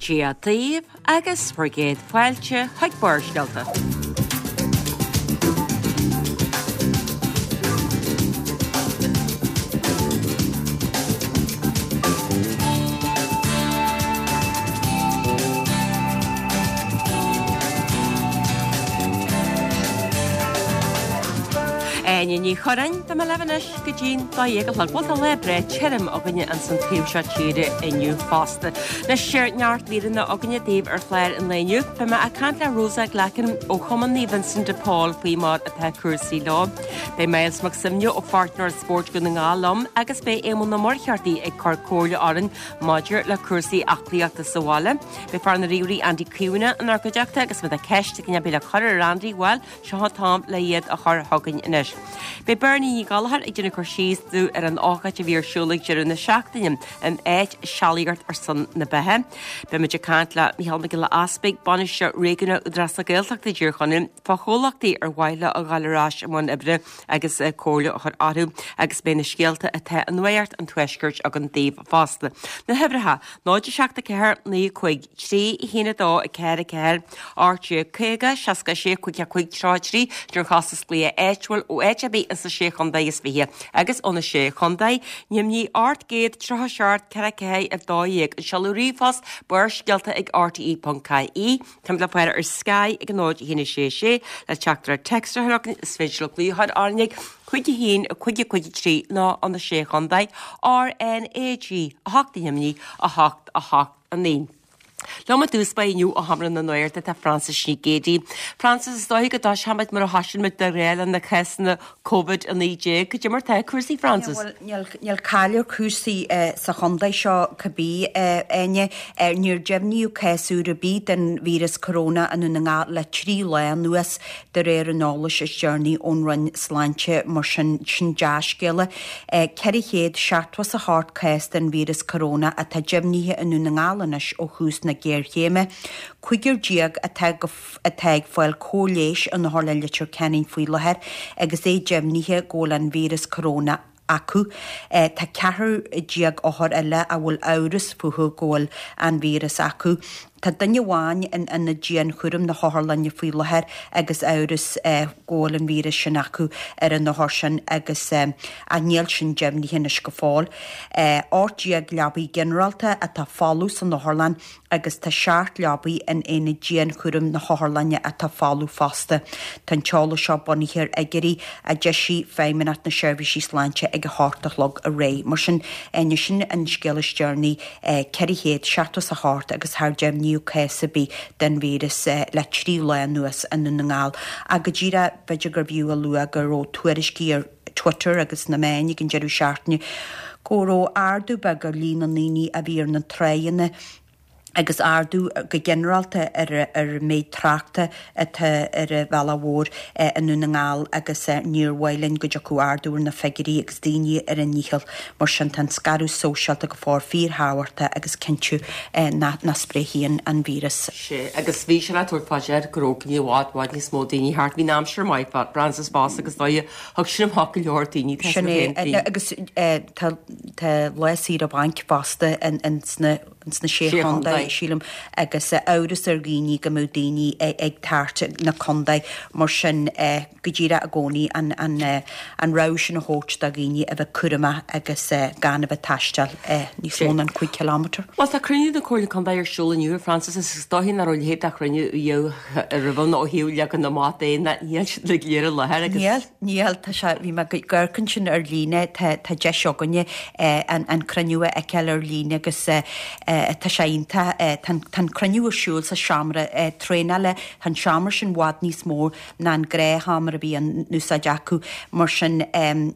Dia daoibh agus bhur gcéad fáilte chuig Barrscéalta. Áine Ní Churráin, tá mé libh anois go dtí'n 12 a chlog. Bhuel tá lá breá tirim againne ins an taobh seo tíre inniu fosta. Anois neart míreanna againne daoibh ar chlár an lae inniu. Beidh mé ag caint le Rosa Glackin ó Chumann Naomh Vincent de Paul faoi mar atá cúrsaí leo. Beidh Myles Mac Suibhne ó Pháirtnéireacht Spóirt Dhún na nGall liom agus beidh Éamonn Ó Muircheartaigh ag cur comhairle orainn maidir le cúrsaí aclaíochta sa bhaile. Beidh fear na ríomhairí Andy Caomhánach inár gcuideachta agus má tá ceist ag duine ar bith le cur ar Andy, bhuel, seo an t-am le iad a chur chugainn anois. Beidh Bernie Ní Ghallchóir ag déanamh cur síos dúinn ar an ócáid a bhí ar siúl ag deireadh na seachtaine in áit Sealaíocht ar son na Beatha. Beidh muid ag caint le Micheál Mac Giolla Easpaig, Bainisteoir Réigiúnach Údarás na Gaeltachta i dTír Chonaill, fá chomhlachtaí ar mhaith leo a ghabháil ar ais i mbun oibre agus comhairle a chur orthu agus beidh na scéalta atá i Nuacht an Tuaiscirt againn daoibh fosta. Na huimhreacha, 0 7 4 9 5 3 1 2 4 4 18 50 66 5 5 33 Sin ar chostas glaoch áitiúil ó áit ar bith ins na Sé Chontae is Fiche agus ó na Sé Chontae, Neimnigh 837 4 4 12 An seoladh ríomhphost, Barrscéalta ag rte.ie Táimid le fáil ar Sky ag 0 1 6 6 le teachtaireacht téacs a chur chugainn is féidir libh glaoch a chur orainn ag 5 1 5 5 3 nó ó na Sé Chontae, RnaG 8 1 8 8 9. Liom i dtús báire inniu ó Sheomra na Nuachta tá Frances Nic Géadaigh. Frances, is dóiche go dtoiseoimid mar a thosaíonn muid de ghnáth le na cásanna Covid-19. Cad é mar tá cúrsaí, Frances? Bhuel, níl caill ar chúrsaí sa chontae seo cibé, a Áine. Níor deimhníodh cás úr ar bith den víreas coróna i nDún na nGall le 3 lá anuas, de réir an eolais is deireanaí ón Roinn Sláinte. Mar sin, sin dea-scéala. 478 cás den víreas coróna atá deimhnithe i nDún na nGall anois ó thús na géarchéime. 15 atá go. atá ag fáil cóir leighis in Otharlann Leitir Ceanainn faoi láthair agus é deimhnithe go bhfuil an víreas coróna acu. Tá 14 othar eile a bhfuil amhras fúthu go bhfuil an víreas acu. Tá duine amháin in ionad dianchúraim na hotharlainne faoi láthair agus amhras go bhfuil an víreas sin acu ar an othar sin agus ach níl sin deimhnithe anois go fóill. 18 leabaidh ginearálta atá folamh san otharlann agus tá 7 leabaidh in aonad dianchúraim na hotharlainne atá folamh fosta. Tá an t-eolas seo bunaithe ar fhigiúirí a d'eisigh Feidhmeannacht na Seirbhísí Sláinte ag a hocht a chlog aréir. Mar sin, Áine, sin an scéal is deireanaí, 478 agus char deimhníodh cás ar bith den víreas le 3 lá anuas i nDún na nGall. Ach go díreach, b'fhéidir gurbh fhiú a lua go raibh tuairiscí ar Twitter agus sna meáin ag an deireadh seachtaine go raibh ardú beag ar líon na ndaoine a bhí ar na tráigheanna agus ardú go ginearálta ar ar an méid tráchta atá ar an bhealach mhór i nDún na nGall agus níor mhaith linn go dtiocfadh ardú ar na figiúirí agus daoine ar a ndícheall. Mar sin tá an scaradh sóisialta go fóill fíorthábhachtach agus cinntiú nach spréifidh an víreas. Sea, agus bhí sé le tabhairt fá dear go raibh i bhfad, bhfad níos mó daoine thart. Bhí an aimsir maith, Frances fosta agus is dóigh Thug sin amach go leor daoine, tá Sin é, agus tá lá saoire bainc fosta ins na Sé Chontae, sílim, agus amhras ar dhaoine go mbeadh daoine ag tabhairt na contae mar sin go díreach i gcónaí an rabhadh sin a thabhairt do dhaoine a bheith cúramach agus gan a bheith ag taisteal níos mó ná an 5 kilometre. Bhuel, tá cruinniú na Comhairle Contae ar siúl inniu, a Frances, agus is dóiche nach raibh a leithéid de chruinniú riamh roimhe nó ó thaobh leagan amach de ná níl siad uilig léir i láthair agus. Níl, níl, tá sé, bhí mé ag amharc ansin ar líne, tá, tá deis againne an, an cruinniú a fheiceáil ar líne agus tá sé iontach, tá an, tá an cruinniú ar siúl sa seomra traenála, tá an seomra sin i bhfad níos mó ná an gnáthsheomra a bhí in úsáid acu. Mar sin,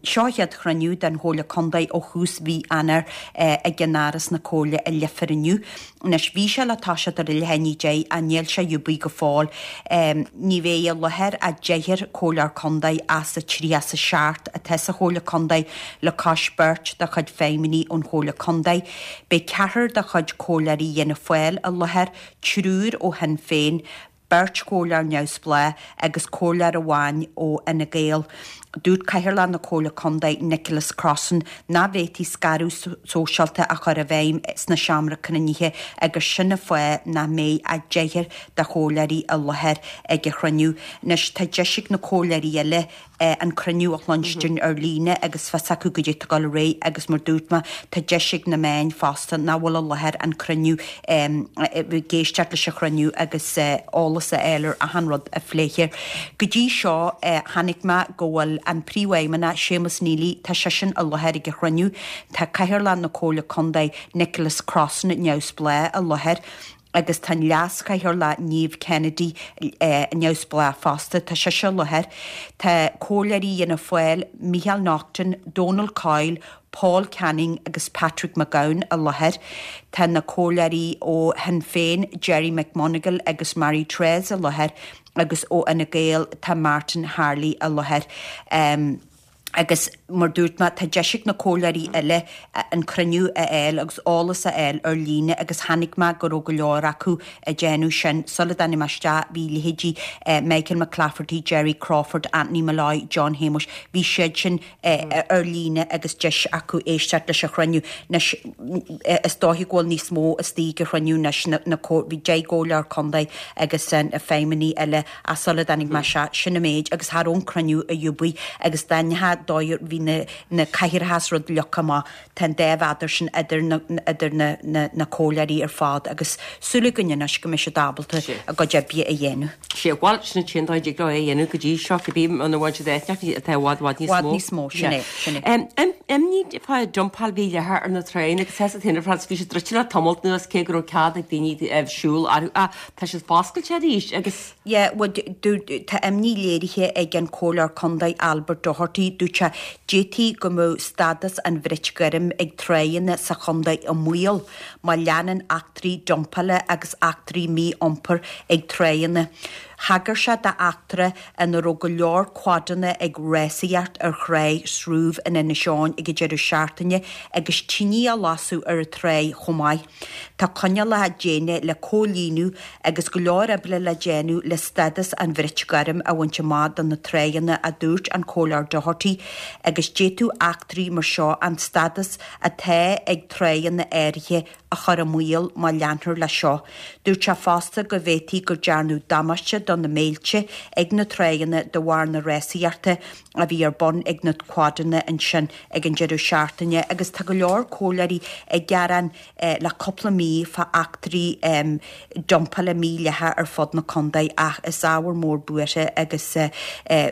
seo an chéad chruinniú den Chomhairle Contae ó thús mhí Eanáir ag ceannáras na Comhairle i Leifear inniu. Anois, bhí sé le toiseacht ar a leath i ndiaidh a deich ach níl sé riúbaí go fóill. Ní bheidh i láthair ach deichniúr Comhairleoir Contae as an 37 atá sa Chomhairle Contae le cois beirt de chuid feidhmeannaigh ón Chomhairle Contae. Beidh ceathrar de chuid Comhairleoirí Fhianna Fáil i láthair, triúr ó Shinn Féin. beirt chomhairleoir neamhspleách agus comhairleoir amháin ó Fhine Gael. Dúirt Cathaoirleach na Comhairle Contae, Nicholas Crossan, nach bhféadfaí scaradh sóisialta a chur i bhfeidhm sna seomra cruinnithe agus sin an fáth nach mbeidh ach deichniúr de chomhairleoirí i láthair ag an chruinniú. Anois tá deis ag na comhairleoirí eile an cruinniú a chluinstin ar líne agus fios acu goidé atá ag dul ar aghaidh agus mar dúirt mé tá deis ag na meáin fosta nach bhfuil i láthair an cruinniú ag éisteacht leis an chruinniú agus eolas a fháil ar achan rud a phléifear. Go dtí seo chonaic mé go bhfuil an Príomhfheidhmeannach Séamus Neely, tá seisean i láthair ag an chruinniú, tá Cathaoirleach na Comhairle Contae Nicholas Crossan neamhspleách i láthair, agus tá an Leas-Chathaoirleach Niamh Kennedy neamhspleách fosta, tá sise i láthair. Tá comhairleoirí Fhianna Fáil, Micheál Naughton, Donal Coyle, Paul Canning agus Patrick McGowan i láthair. Tá na comhairleoirí ó Shinn Féin, Gerry McMonagle agus Marie Therese i láthair agus ó Fhine Gael tá Martin Harley i láthair. Agus mar dúirt mé, tá deis ag na comhairleoirí eile an cruinniú a fháil agus eolas a fháil ar líne agus chonaic mé go raibh go leor acu ag déanamh sin. Sula dtáinig mé isteach bhí leithéidí Michael McClafferty, Gerry Crawford, Anthony Molloy, John Shéamuis, bhí siad sin ar líne agus deis acu éisteacht leis an chruinniú. Anois is dóiche go bhfuil níos mó istigh ag an chruinniú anois, na bhí 10 gcomhairleoir contae agus na feidhmeannaigh eile Ach sula dtáinig mé isteach, sin an méid agus cha raibh an cruinniú ar bith agus dá ndeacha dóigh bhí na na cathaoireacha is rud leagtha amach, tá an dá mhéadar sin idir na idir na na na comhairleoirí ar fad agus súil againn anois go mbeidh siad ábalta a gcuid oibre a dhéanamh. Sea, bhuel, sin an t-aon dóigh a dtig leo é a dhéanamh go dtí seo, cibé muna bhfaigheann siad áit atá i bhfad, bhfad níos mó. Bhfad níos mó, sin é, sin é. Imní fá dumpáil mhídhleathach ar na tráigheanna agus tá a fhios agat bhí siad druidte le tamalt anuas cé go raibh cead ag daoine siúl orthu ach Tá siad foscailte arís agus. Yeah, bhuel, tá imní léirithe ag an Comhairleoir Contae Albert Doherty, dúirt sé, d'fhéadfaí go mbeadh stádas an bhrait ghoirm ag tráigheanna sa chontae i mbaol má leanann eachtraí dumpála agus eachtraí mí-iompair ag tráigheanna. Thagair sé d'eachtra ina raibh go leor quadanna ag rásaíocht ar thráigh Srúbh in Inis Eoghain ag an deireadh seachtaine agus tine á lasadh ar an tráigh chomh maith. Tá coinníollacha déine le comhlíonadh agus go leor oibre le déanamh le stádas an bhrait ghoirm a bhaint amach do na tráigheanna, a dúirt an Comhairleoir Doherty, agus d'fhéadfadh eachtraí mar seo an stádas atá ag tráigheanna áirithe a chur i mbaol má leantar leis seo. Dúirt sé fosta go bhféadfaí go dearnadh damáiste do na mílte ag na tráigheanna de bharr na rásaíochta a bhí ar bun ag na quadanna ansin ag an deireadh seachtaine agus tá go leor comhairleoirí ag gearán le cúpla mí fá eachtraí dumpála mídhleathacha ar fud na contae ach is ábhar mór buartha agus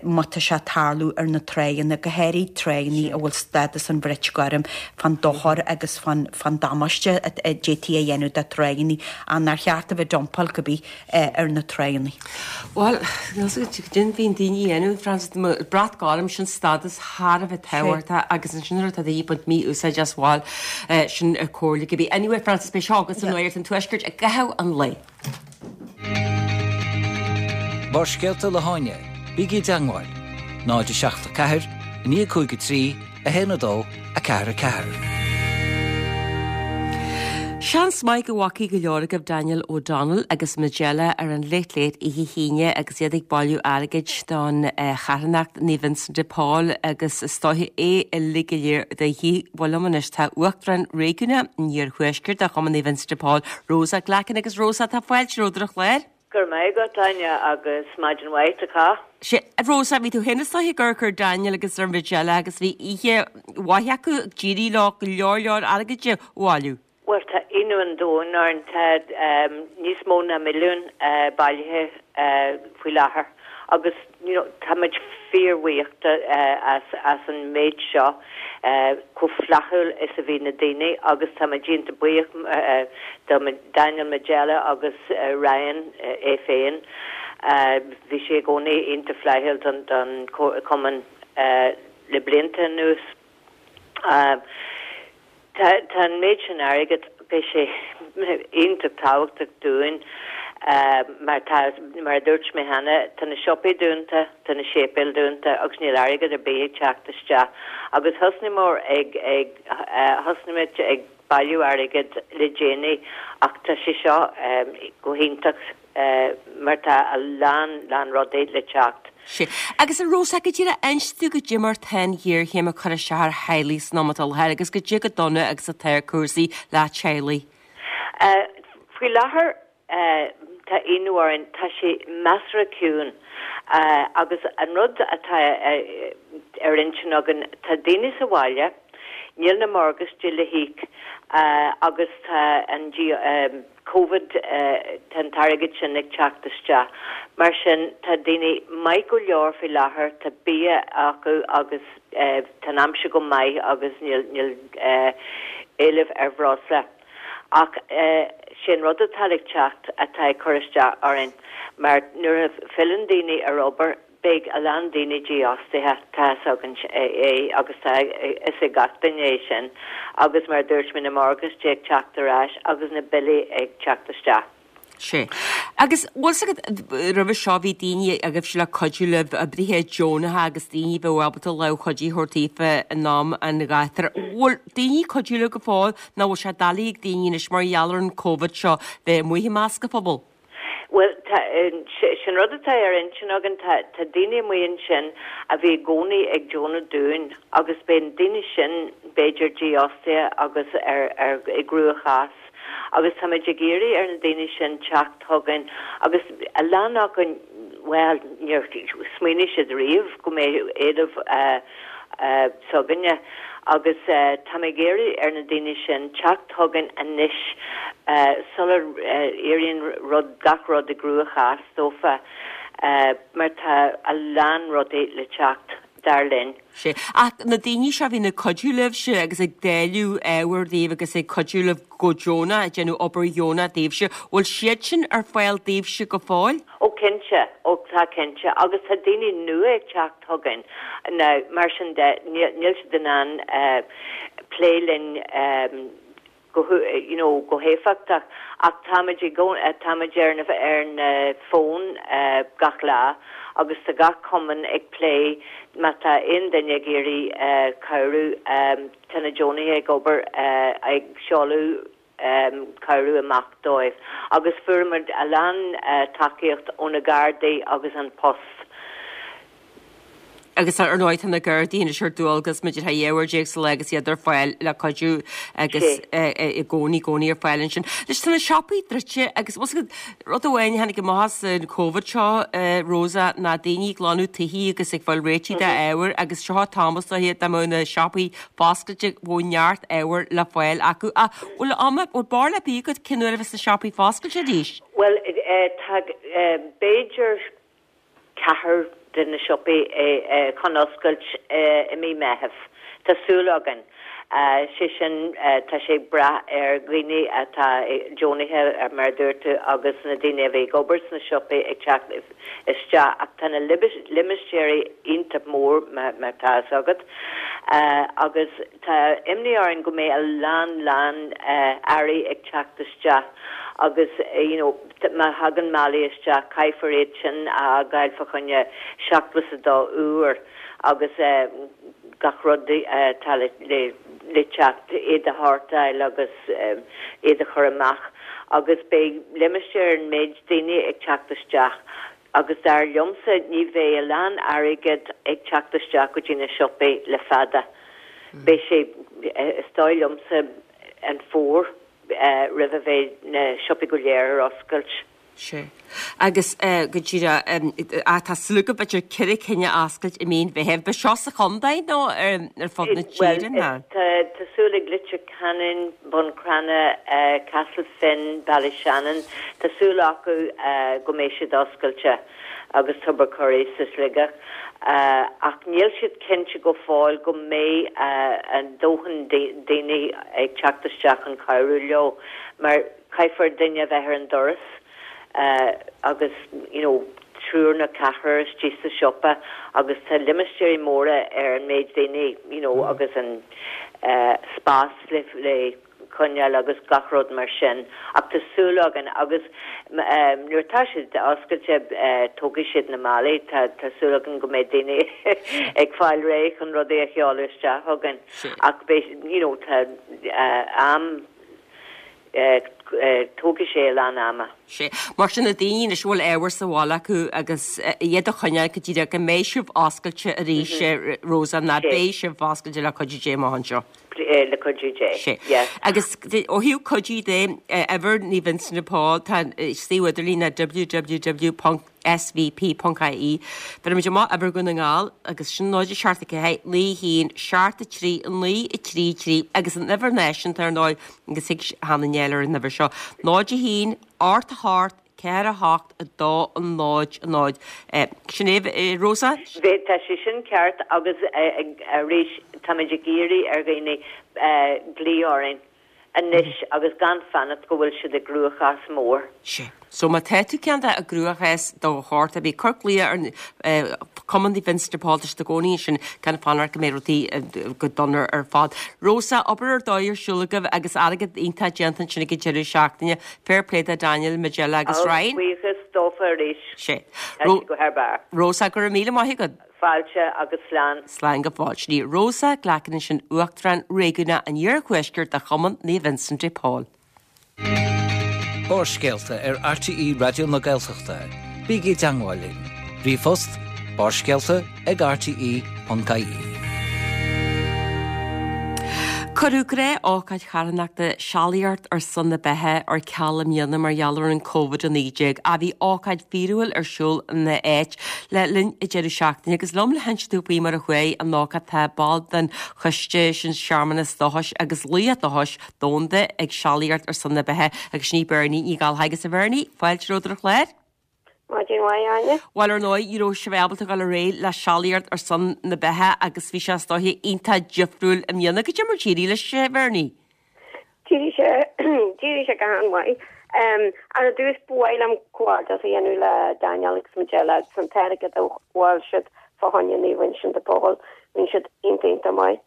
má tá sé ag tarlú ar na tráigheanna, go háirid tráigheanna a bhfuil stádas an bhrait ghoirm fán dochar agus fán damáiste a d'fhéadfaí a dhéanamh do tráigheanna ach nár cheart a bheith ag dumpáil cibé. ar na tráigheanna. Bhuel, cad bhíonn daoine a dhéanamh, Frances, brat gorm, sin stádas thar a bheith tábhachtach agus ansin nuair atá daoine ag baint mí-úsáid as, bhuel, sin comhairle cibé. Anyway, Frances, beidh seo agat sa Nuacht an Tuaiscirt i gcaitheamh an lae. Barrscéalta le hÁine, bígí i dteangmháil, 0 7 4 9 5 3 1 2 4 4. Seans maith go bhfacaidh go leor agaibh Daniel O'Donnell agus Majella ar an Late Late oíche hAoine agus iad ag bailiú airgid don charthanacht Naomh Vincent de Paul agus is dóiche é uilig go léir de dhíth. Bhuel liom anois tá Uachtarán Réigiúnach an Iarthuaiscirt de Chumann Naomh Vincent de Paul, Rosa Glackin agus Rosa tá fáilte romhat ar an chlár. Go raibh maith agat, Áine, agus maidin mhaith do chách. Sea, a Rosa, bhí tú féin is dóiche ag amharc ar Daniel agus ar Majella agus bhí oíche mhaith acu, d'éirigh leo go leor leor airgid a bhailiú. Bhuel, tá ionadh an domhain orainn, tá níos mó ná milliún bailithe faoi láthair agus you know táimid fíorbhuíoch as as an méid seo, chomh flaithiúil is a bhí na daoine agus táimid iontach buíoch do Daniel Majella agus Ryan é féin. Bhí sé i gcónaí iontach flaithiúil don don chumann le blianta anuas. Tá an méid sin airgid, beidh sé iontach tábhachtach dúinn mar tá, mar a dúirt mé cheana, tá na siopaí dúnta, tá na séipéil dúnta agus níl airgead ar bith ag teacht isteach. Agus thosnaíomar ag, ag, thosnaigh muid ag bailiú airgid le déanaí ach tá sé seo go hiontach. mar tá a lán, lán rudaí le teacht. Sea. Agus a Rosa, go díreach inis dúinn goidé mar tá an ghéarchéim ag cur isteach ar theaghlaigh san am atá i láthair agus goidé chomh dona agus atá cúrsaí le teaghlaigh. Faoi láthair tá ionadh orainn, tá sé measartha ciúin agus an rud atá ar intinn againn, tá daoine sa bhaile, níl na morgáistí le híoc agus tá an Covid, tá an t-airgead sin ag teacht isteach. Mar sin, tá daoine maith go leor faoi láthair, tá bia acu agus tá an aimsir go maith agus níl éileamh ar bhreosla. Ach sé an rud atá le teacht atá ag cur isteach orainn, mar nuair a filleann daoine ar obair, beidh a lán daoine dífhostaithe, tá fhios againn é agus tá fhios ag gach duine é sin, agus mar a dúirt mé, na morgáistí ag teacht ar ais agus na billí ag teacht isteach. Sea. Agus bhfuil fhios agat, roimhe seo bhí daoine agaibhse le cuidiú libh, oibrithe deonacha agus daoine a bheadh ábalta lámh chuidithe a thabhairt daofa in am an ghátair. Bhfuil daoine ag cuidiú libh go fóill nó bhfuil sé doiligh ag daoine anois mar gheall ar an Covid seo bheith amuigh i measc an phobail? Bhuel, tá, sin rud atá ar intinn againn, tá, tá daoine amuigh ansin a bhí i gcónaí ag deonú dúinn agus beidh na daoine sin, b'fhéidir, dífhostaithe agus ar, ar, i gcruachás agus táimid ag iarraidh ar na daoine sin teacht chugainn agus a lán acu, bhuel, níor smaoinigh siad riamh go mbeadh éileamh s'againne agus táim ag iarraidh ar na daoine sin teacht chugainn anois sula éiríonn rud, gach rud i gcruachás dófa mar tá a lán rudaí le teacht, dar linn. Sea. Ach na daoine seo a bhíonn ag cuidiú libhse agus ag dáileadh ábhair daoibh agus ag cuidiú libh go deonach, ag déanamh obair dheonach daoibhse, bhfuil siad sin ar fáil daoibhse go fóill? Ó cinnte, ó tá cinnte agus tá daoine nua ag teacht chugainn. Now, mar sin de, níl siad in ann plé linn go, you know, go héifeachtach ach táimid i gcónaí, táimid ar na, ar na fóin gach lá agus tá gach cumann ag plé má tá aon duine ag iarraidh cabhrú, tá na deonaithe ag obair ag seoladh cabhrú amach dóibh agus fuair muid a lán tacaíocht ó na Gardaí agus An Post. Agus ar ndóigh tá na Gardaí anois ar dualgas maidir le 12 uair sa lá agus iad ar fáil le cuidiú agus i gcónaí, gcónaí ar fáil ansin. Anois tá na siopaí druidte agus bhfuil fhios agat, rud amháin a tháinig amach as an Covid seo, Rosa, ná daoine ag glanadh tithe agus ag fáil réitithe d'ábhair agus seo an t-am is dóiche dá mbeadh na siopaí foscailte, bheadh neart ábhair le fáil acu. Ach bhfuil am, bhfuil barúil ar bith agat cén uair a bheas na siopaí foscailte arís? Bhuel, tá, b'fhéidir ceathrar de na siopaí chun oscailt i mí Meitheamh. Tá súil againn. Sé sin, tá sé ag brath ar dhaoine atá deonaithe, mar a dúirt tú, agus na daoine a bhí ag obair sna siopaí ag teacht isteach ach tá na limistéirí iontach mór mar tá fhios agat agus tá imní orainn go mbeidh a lán lán earraí ag teacht isteach agus you know má thagann málaí isteach caithfear iad sin a fhágáil fá choinne 72 uair agus gach rud atá le le teacht iad a shórtáil agus iad a chur amach agus beidh limistéar an méid daoine ag teacht isteach agus dar liomsa ní bheidh a lán airgead ag teacht isteach go dtí na siopaí le fada. Beidh sé, is dóigh liomsa, an fómhar roimh a bheidh na siopaí go léir ar oscailt. Sea. Agus go díreach, tá súil agaibh b'fhéidir ceithre cinn a oscailt i mí an Mheithimh. Beidh seo sa chontae nó ar fud na tíre nó? Bhuel, tá súil ag Leitir Ceanainn, Bun Cranncha, Castle Finn, Ballyshannon, tá súil acu go mbeidh siad oscailte agus Tubbercurry sa Sligeach. Ach níl siad cinnte go fóill go mbeidh a ndóthain daoine ag teacht isteach chun cabhrú leo mar Caithfear duine a bheith ar an doras agus you know triúr nó ceathrar istigh sa siopa agus tá limistéirí móra ar an méid daoine you know agus an spás le le coinneáil agus gach rud mar sin ach tá súil againn agus nuair atá siad oscailte tógfaidh siad na málaí tá tá súil againn go mbeidh daoine ag fáil réidh chun rudaí a sheoladh isteach chugainn ach beidh you know tá am. Tógfaidh sé a lán ama. Sea. Mar sin, na daoine anois a bhfuil ábhar sa bhaile acu agus iad a choinneáil go díreach go mbeidh sibh oscailte arís, Rosa, ná beidh sibh oscailte le cuidiú Dé amach anseo. Le cuidiú Dé. Sea. Agus ó thaobh cuidiú de, uimhir Naomh Vincent de Paul, tá an suíomh idirlín ná www. svp.ie. Bhéarfaimid amach uimhir Dhún na nGall agus sin 0 7 4 9 1 7 3 9 3 3 agus an uimhir náisiúnta ar ndóigh agus thig Hannah Neill ar an uimhir seo 0 1 8 8 4 8 2 0 0. Sin é, Rosa? Tá sé sin ceart agus arís táimid ag iarraidh ar dhaoine glaoch orainn. anois agus gan fanacht go bhfuil siad i gcruachás mór. Sea. So má tá tú cineál i gcruachás de shórt ar bith, cuir glaoch ar Cumann Naomh Vincent de Paul, tá siad i gcónaí ansin gan fanacht go mbeidh rudaí go dona ar fad. Rosa, obair ar dóigh ar siúl agaibh agus airgead iontach déanta ansin ag an deireadh seachtaine. Fair play do Daniel, Majella agus Ryan. Buíochas dófa arís. Sea. Tá siad go thar barr. Rosa, go raibh míle maith agat. Fáilte agus slán. Slán go fóill. Sin í Rosa Glackin ansin, Uachtarán Réigiúnach an Iarthuaiscirt de Chumann Naomh Vincent de Paul. Barrscéalta ar RTÉ Raidió na Gaeltachta. Bígí i dteangmháil linn. Ríomhphost, barrscéalta ag rte.ie. Cuireadh gnáth-ócáid charthanachta Sealaíocht ar son na Beatha ar ceal i mbliana mar gheall ar an Covid-19 ach bhí ócáid fíorúil ar siúl ina áit le linn an deireadh seachtaine agus liom le hinse dúinn faoi mar a chuaigh an ócáid tá ball den choiste sin Searmanas Dóchais agus Laoch Dóchais Domhanda ag Sealaíocht ar son na Beatha agus sin í Bernie Ní Ghallchóir agus a Bhernie, fáilte romhat ar an chlár. Maidin mhaith, Áine. Bhuel, ar ndóigh, ní raibh sibh ábalta dul ar aghaidh le Sealaíocht ar son na Beatha agus bhí sé is dóiche iontach difriúil i mbliana. Goidé mar d'éirigh leis, a Bhernie? D'éirigh sé, d'éirigh sé go han-mhaith. Ar dtús, ba mhaith liom comhghairdeas a dhéanamh le Daniel agus Majella agus an t-airgead a bhailigh siad fá choinne Naomh Uinseann de Pól. Rinne siad iontach, iontach maith.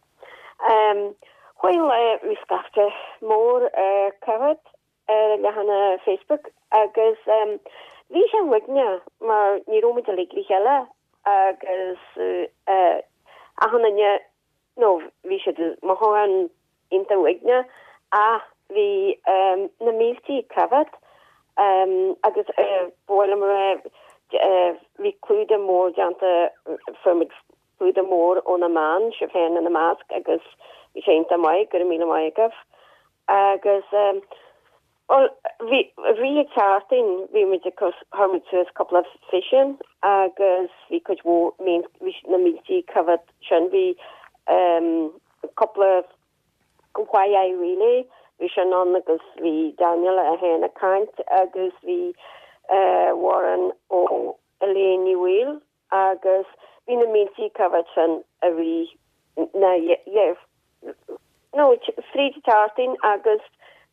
Chuaigh an lá, bhí scaifte mór ar Covid ar an leathanach Facebook agus bhí sé uaigneach mar ní raibh muid uilig le chéile agus achan duine nó bhí siad mothúchán iontach uaigneach ach bhí na míltí coimhéad agus ba mhaith liom a rá bhí clúdach mór déanta fuair muid clúdach mór ó na meáin, sibh féin ina measc agus bhí sé iontach maith, go raibh míle maith agaibh. Agus bhuel bhí bhí an tseachtain bhí muid ag cur chuir muid suas cúpla físeán agus bhí cuid mhór míl bhí na míltí coimhéad sin bhí cúpla Why I Really bhí sin ann agus bhí Daniel é féin ag caint agus bhí Warren ó Elaine Ní Bhaoill agus bhí na míltí coimhéad sin i rith na no fríd an tseachtain agus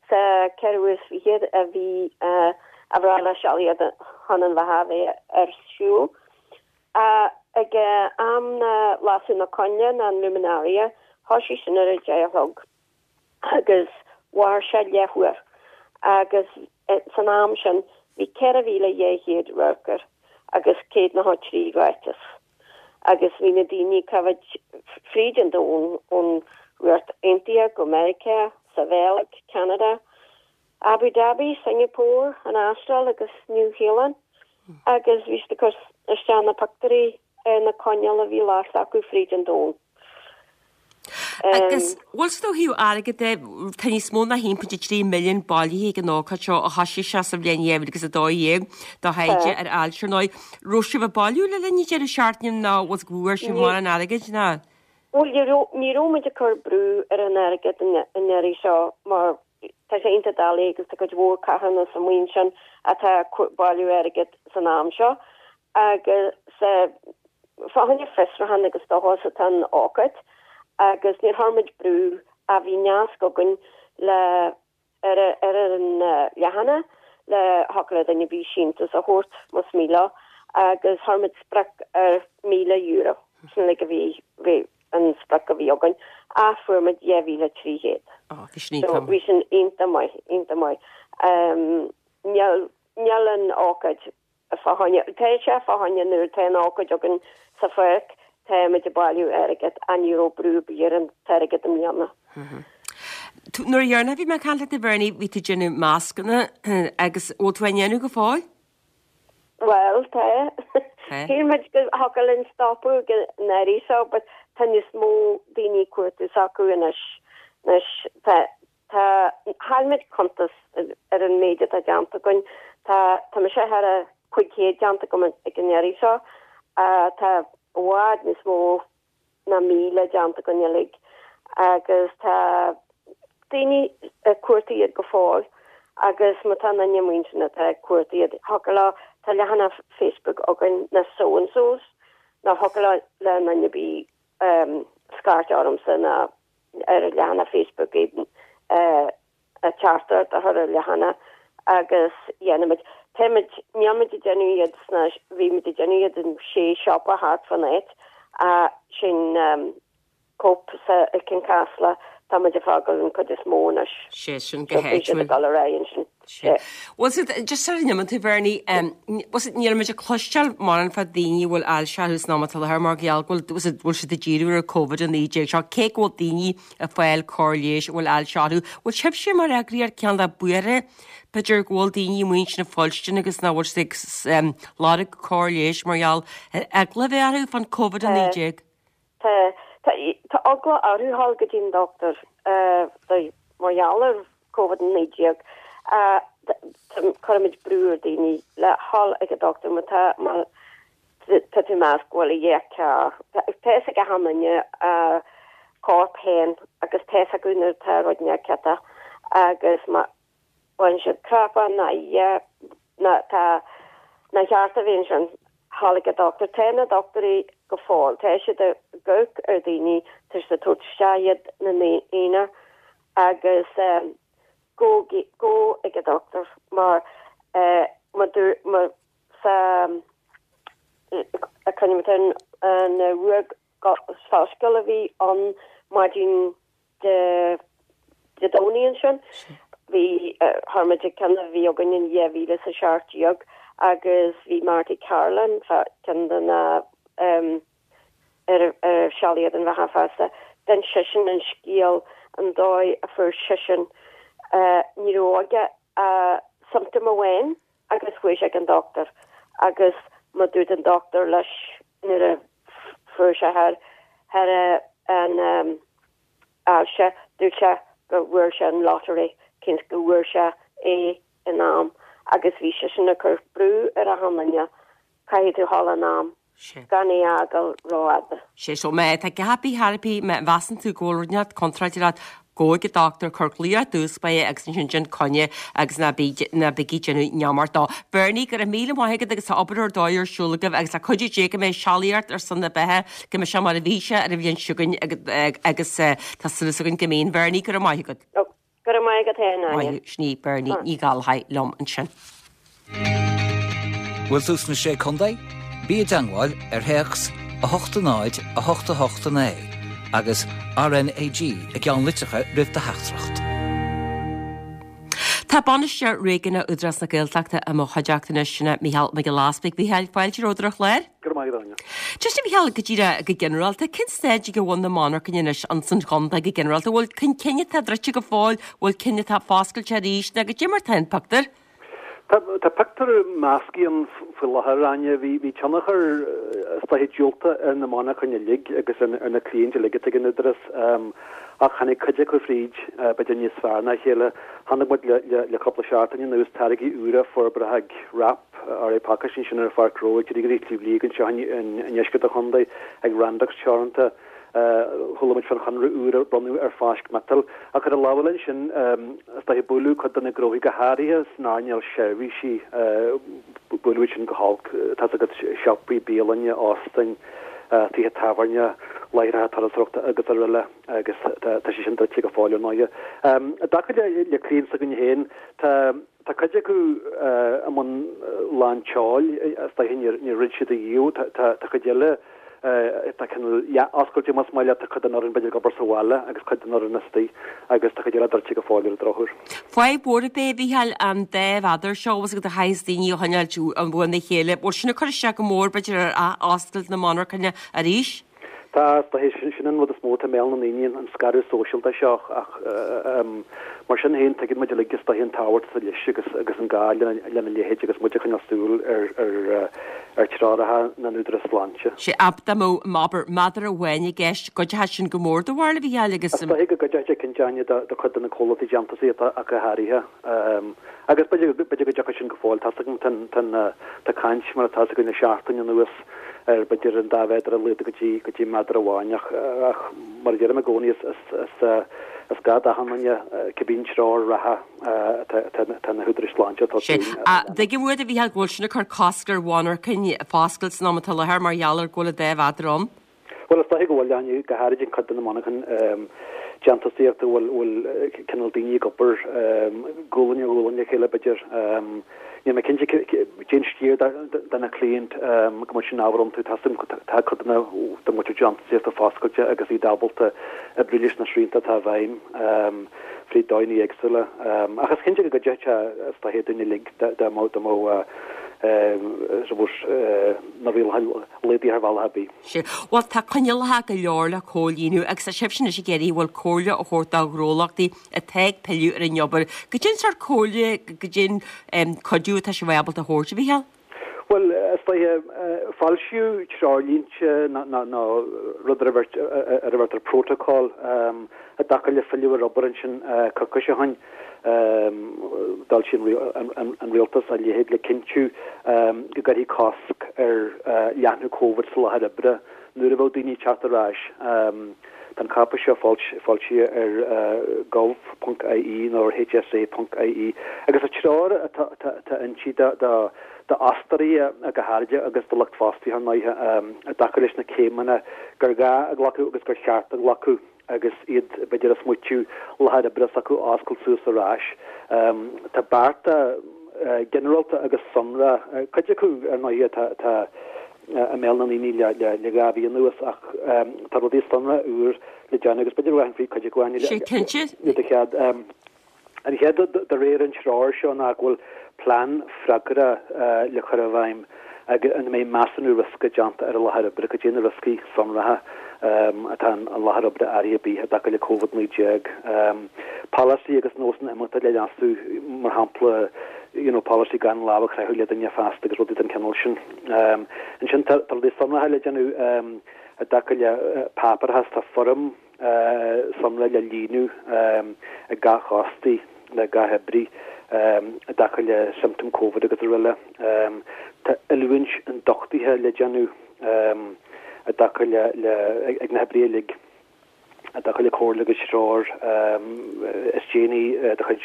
sa 24ú a bhí a bhreá Sealaíocht ar son na Beatha a bheith ar siúl. Ag am na lasadh na coinnle na an luminaria thoisigh sin ar a deich a chlog. agus mhair sé leathuair agus san am sin bhí 4,200 radharc air agus 193 ráiteas agus bhí na daoine ag coimhéad fríd an domhan ón Ríocht Aontaithe go Meiriceá, sa Bheilg, Ceanada, Abu Dhabi, Singapore, an Astráil agus Nua Shéalainn agus bhí siad ag cur isteach na pictiúirí ar na coinneal a bhí lasta acu fríd an domhan. Agus bhfuil 's ó thaobh airgid de, tá níos mó ná 1.3 milliún bailithe ag an ócáid seo ó thoisigh sé sa bhliain 2012 do thaighde ar ailse ar ndóigh. Raibh sibh ag bailiú le linn an deireadh seachtaine nó bhfuil bhfuair sibh mórán airgid ná? Bhuel ní raibh, ní raibh muid ag cur brú ar an airgead an iarraidh seo mar tá sé iontach doiligh agus tá cuid mhór carthanas amuigh ansin atá ag bailiú airgid san am seo agus fá choinne fiosrúchán agus dóchas atá an ócáid agus níor chuir muid brú ach bhí nasc againn le ar ar an leathanach le thiocfadh le duine ar bith síntiús a thabhairt más mian leo agus chuir muid sprioc ar €1,000 sin uilig a bhí bhí an sprioc a bhí againn ach fuair muid 2,300. Ó bhí sin iontach maith. Bhí sin iontach maith, iontach maith. Níl níl an ócáid fá choinne, tá sé fá choinne nuair atá an ócáid againn sa pháirc, táimid ag bailiú airgead ach ní raibh brú ar bith ar an t-airgead i mbliana. Nuair a dheireanach a bhí mé ag caint leat a Bhernie, bhí tú ag déanamh mascanna agus bhfuil tú á ndéanamh go fóill? Bhuel, tá. Shíl muid go thiocfadh linn stopadh ag an iarraidh seo but tá níos mó daoine ag cuartú s'acu anois. Anois tá, tá, chaill muid cuntas ar an méid atá déanta againn. Tá, tá mise thar a 500 déanta agam ag an iarraidh seo. Tá i bhfad níos mó ná 1,000 déanta againn uilig agus tá daoine ag cuartú iad go fóill agus má tá aon duine amuigh ansin atá ag cuartú iad, thiocfadh leo, tá leathanach Facebook againn, na So and Sos, nó thiocfadh le aon duine ar bith scairt ormsa nó ar an leathanach Facebook iad a teachtaireacht a chur ar leathanach agus dhéanfaimid. Táimid, nílimid ag déanamh iad sna, bhí muid ag déanamh iad in sé siopa thart fán áit ach sin Cope sa i gCianchasla, tá muid ag fágáil an cuid is mó anois. Sé sin go So bhí siad ag dul ar aghaidh ansin. Sé. Bhfuil siad, just sar a n-imíonn tú Bernie, bhfuil siad, níl muid ag cloisteáil mórán fá daoine a bhfuil ailse orthu san am atá i láthair mar gheall go bhfuil, bhfuil siad ag díriú ar an Covid-19 seo, cé go bhfuil daoine ag fáil cóir leighis a bhfuil ailse orthu. Bhfuil sibhse mar eagraíocht cineál de buartha, b'fhéidir go bhfuil daoine amuigh ansin ag fuilstin agus nach bhfuil siad ag lorg cóir leighis mar gheall ar eagla a bheith orthu fán Covid-19? Tá, tá, tá eagla orthu dhul go dtí an dochtúir mar gheall ar Covid-19. Cuirimid brú ar daoine le dhul ag an dochtúir má tá, má Tá tú ag meas go bhfuil a dhath cearr. Tá fhios ag achan duine a corp féin agus tá fhios acu nuair atá rud inteacht ciotach agus má bhain siad crapadh ná a ná tá nár cheart a bheith ansin dhul ag an dochtúir. Tá na dochtúirí go fóill, tá siad ag amharc ar daoine, tá siad ag tabhairt isteach iad ina n-aonar agus gabh gabh ag an dochtúir mar má má Sa cuimhin an ruag soiscéal a bhí ann maidin Dé Domhnaigh ansin. Bhí chuir muid ag ceann a bhí againn in 2017 agus bhí Marty Carolan, ceann de na ar ar Sealaíocht don Bheatha Feasta, d'inis seisean an scéal an dóigh a fuair seisean ní raibh aige ach symptom amháin agus chuaigh sé ag an dochtúir agus má dúirt an dochtúir leis nuair a fuair sé thar thar an ailse dúirt sé go bhfuair sé an lottery cén go bhfuair sé é in am agus bhí seisean ag cur brú ar achan duine caithfidh tú dhul in am gan é a fhágáil rófhada. Sé so má tá gá bith thar bith, má mheasann tú go bhfuil rud inteacht contráilte leat, gabh ag an dochtúir, cuir glaoch ar dtús báire agus ansin déan coinne agus ná bí, ná bígí ag déanamh neamart dó. Bernie, go raibh míle maith agat agus tá obair ar dóigh ar siúl agaibh agus le cuidiú Dé go mbeidh sealaíocht ar son na beatha, go mbeidh sé mar a bhí sé ar an bhliain seo chugainn agus tá súil againn go mbeidh. Bernie, go raibh maith agat. Go raibh maith agat féin, Áine. Maith thú, sin í Bernie Ní Ghallchóir liom ansin. Bhfuil tú sna Sé Contae? Bí i dteangmháil ar théacs 8 0 8 8 9 agus RNAG i gceannlitreacha roimh do theachtaireacht. Tá Bainisteoir Réigiúnach Údarás na Gaeltachta i mo chuideachta anois, sin é Mícheál Mac Giolla Easpaig. Mhícheáil, fáilte romhat ar an chlár. Go raibh maith agat, Áine. Just a Mhícheáil, go díreach, go ginearálta, cén staid ag a bhfuil na monarchana anois ins an chontae go ginearálta? Bhfuil cinn atá druidte go fóill, bhfuil cinn atá foscailte arís, nó goidé mar tá an pictiúr? Tá, tá pictiúr measctha ann faoi láthair, Áine. Bhí, bhí tionchar, is dóiche, diúltach ar na monarchana uilig agus ar, ar na cliaint uilig atá ag an Údarás. Ach tháinig cuid acu fríd, b'fhéidir níos fearr ná a chéile. Chonaic muid le, le, le cúpla seachtain anuas táirgí úra forbartha ag Wrap, RA Pacáistí ansin ar an Pháirc Ghnó ag Dríodóirí Shliabh Liag anseo i ndeisceart an chontae, ag Randox Teoranta. Chuala muid fán chonradh úr a bronnadh ar Fáisc Miotail. Ach ar an lámh eile ansin, is dóiche, buaileadh cuid de na gnóthaí, go háirithe san earnáil seirbhísí, buaileadh iad sin go holc. Tá's agat, siopaí, bialainne, óstáin, tithe tábhairne, láithreacha turasóireachta agus araile agus tá sé sin druidte go fóill ar ndóighe. I dtaca le cliaint s'againne féin, tá. Tá cuid acu i mbun lán tseoil, is dóiche, níor dhruid siad ariamh. Tá cuid eile atá cineál leath-oscailte, más maith leat, tá cuid den fhoireann b'fhéidir ag obair sa bhaile agus cuid den fhoireann istigh agus tá cuid eile druidte go fóill ar an drochuair. Fadhb mhór ab ea é, a Mhícheáil, an dá mhéadar seo, bhfuil a fhios agat a chaithfeas daoine a choinneáilt uaina chéile. Bhfuil sin ag cur isteach go mór, b'fhéidir, ar ath-oscailt na monarchana arís? Tá, is dóiche, sin an rud is mó atá i mbéal na ndaoine, an scaradh sóisialta seo ach mar sin féin tuigeann muid uilig is dóiche an tábhacht atá leis agus agus an gá lena leithéid agus muid ag coinneáil súil ar ar ar treoracha na n-údarás sláinte. Sea, dá mbeadh, abair, méadar amháin i gceist, gcuideodh sin go mór do bharúil, a Mhícheáil, agus. Is dóiche go gcuideodh sé cinnte, Áine, do chuid de na comhlachtaí déantúsaíochta ach go háirithe. Agus b'fhéidir go dtiocfaidh sin go fóill. Tá's agam, tá caint, mar atá 's againn le seachtain anuas, ar b'fhéidir an dá mhéadar a laghdú go dtí go dtí méadar amháin ach ach mar a deirim i gcónaí is is is gá d'achan duine cibé an treoir reatha atá atá na húdaráis sláinte atá Sea. An dtuigim uait, a Mhícheáil, go bhfuil sin ag cur cosc ar mhonarchain foscailt san am atá i láthair mar gheall ar go bhfuil an dá mhéadar ann? Bhuel, is dóiche go bhfuil, Áine, go háirid an chuid de na monarchain déantúsaíochta a bhfuil bhfuil cineál daoine ag obair gualainn ar ghualainn le chéile, b'fhéidir. Níl mé cinnte cén sciar de na cliaint go mbeadh sin ábhar iontu. Tá tá cuid de na den mhuintir déantúsaíochta foscailte agus iad ábalta oibriú leis na srianta atá i bhfeidhm fríd dóigheanna éagsúla. Ach is cinnte go gcuideodh sé, is dóiche, dúinn uilig dá mbeadh dá mbeadh suppose na rialacha laghdaithe ar bhealach ar bith. Sea. Bhuel, tá coinníollacha go leor le comhlíonadh agus tá sibhse anois ag iarraidh bhuel comhairle a thabhairt do ghnólachtaí atá ag pilleadh ar an obair. Goidé an sórt comhairle, goidé an cuidiú atá sibh ábalta a thabhairt, a Mhícheáil? Bhuel, is dóiche, foilsíodh treoirlínte nó rud ar a bheirtear protocol i dtaca le filleadh ar obair ansin coicís ó shin. D'fhoilsigh an rialtas a leithéid le cinntiú go gcuirfí cosc ar leathnú Covid sa láthair oibre nuair a bheadh daoine ag teacht ar ais. Tá an cáipéis seo foilsithe ar gov.ie nó ar hse.ie agus is treoir atá inti d'fhostóirí go háirithe agus do lucht fostaithe ar ndóighe i dtaca leis na céimeanna gur gá a ghlacadh agus gur cheart a ghlacadh. agus iad, b'fhéidir, ag smaoitiú láthair oibre s'acu a oscailt suas ar ais. Tá bearta ginearálta agus sonrath, cuid acu, ar ndóighe, atá i mbéal na ndaoine le 2 mhí anuas ach tá rudaí sonrath úr le déanamh agus b'fhéidir go rachainn fríd cuid acu, Áine, le do chead. An chéad rud de réir an treoir seo ná go bhfuil plean freagartha le cur i bhfeidhm ina mbeidh measúnú riosca déanta ar an láthair oibre, cad é na rioscaí sonracha atá in láthair oibre áirithe ar bith i dtaca le Covid-19, polasaí agus nósanna imeachta le leasú, mar shampla you know polasaí gan lámh a chroitheadh le duine feasta agus rudaí den chineál sin. Ansin tá rudaí sonracha le déanamh i dtaca le páipéarachas, tá foirm, sonrath le líonadh ag gach fhostaí nó gach oibrí i dtaca le siomptóim Covid agus araile. Tá oiliúint ionduchtaithe le déanamh i dtaca le ag na hoibrithe uilig i dtaca le comhairle agus treoir is déanaí de chuid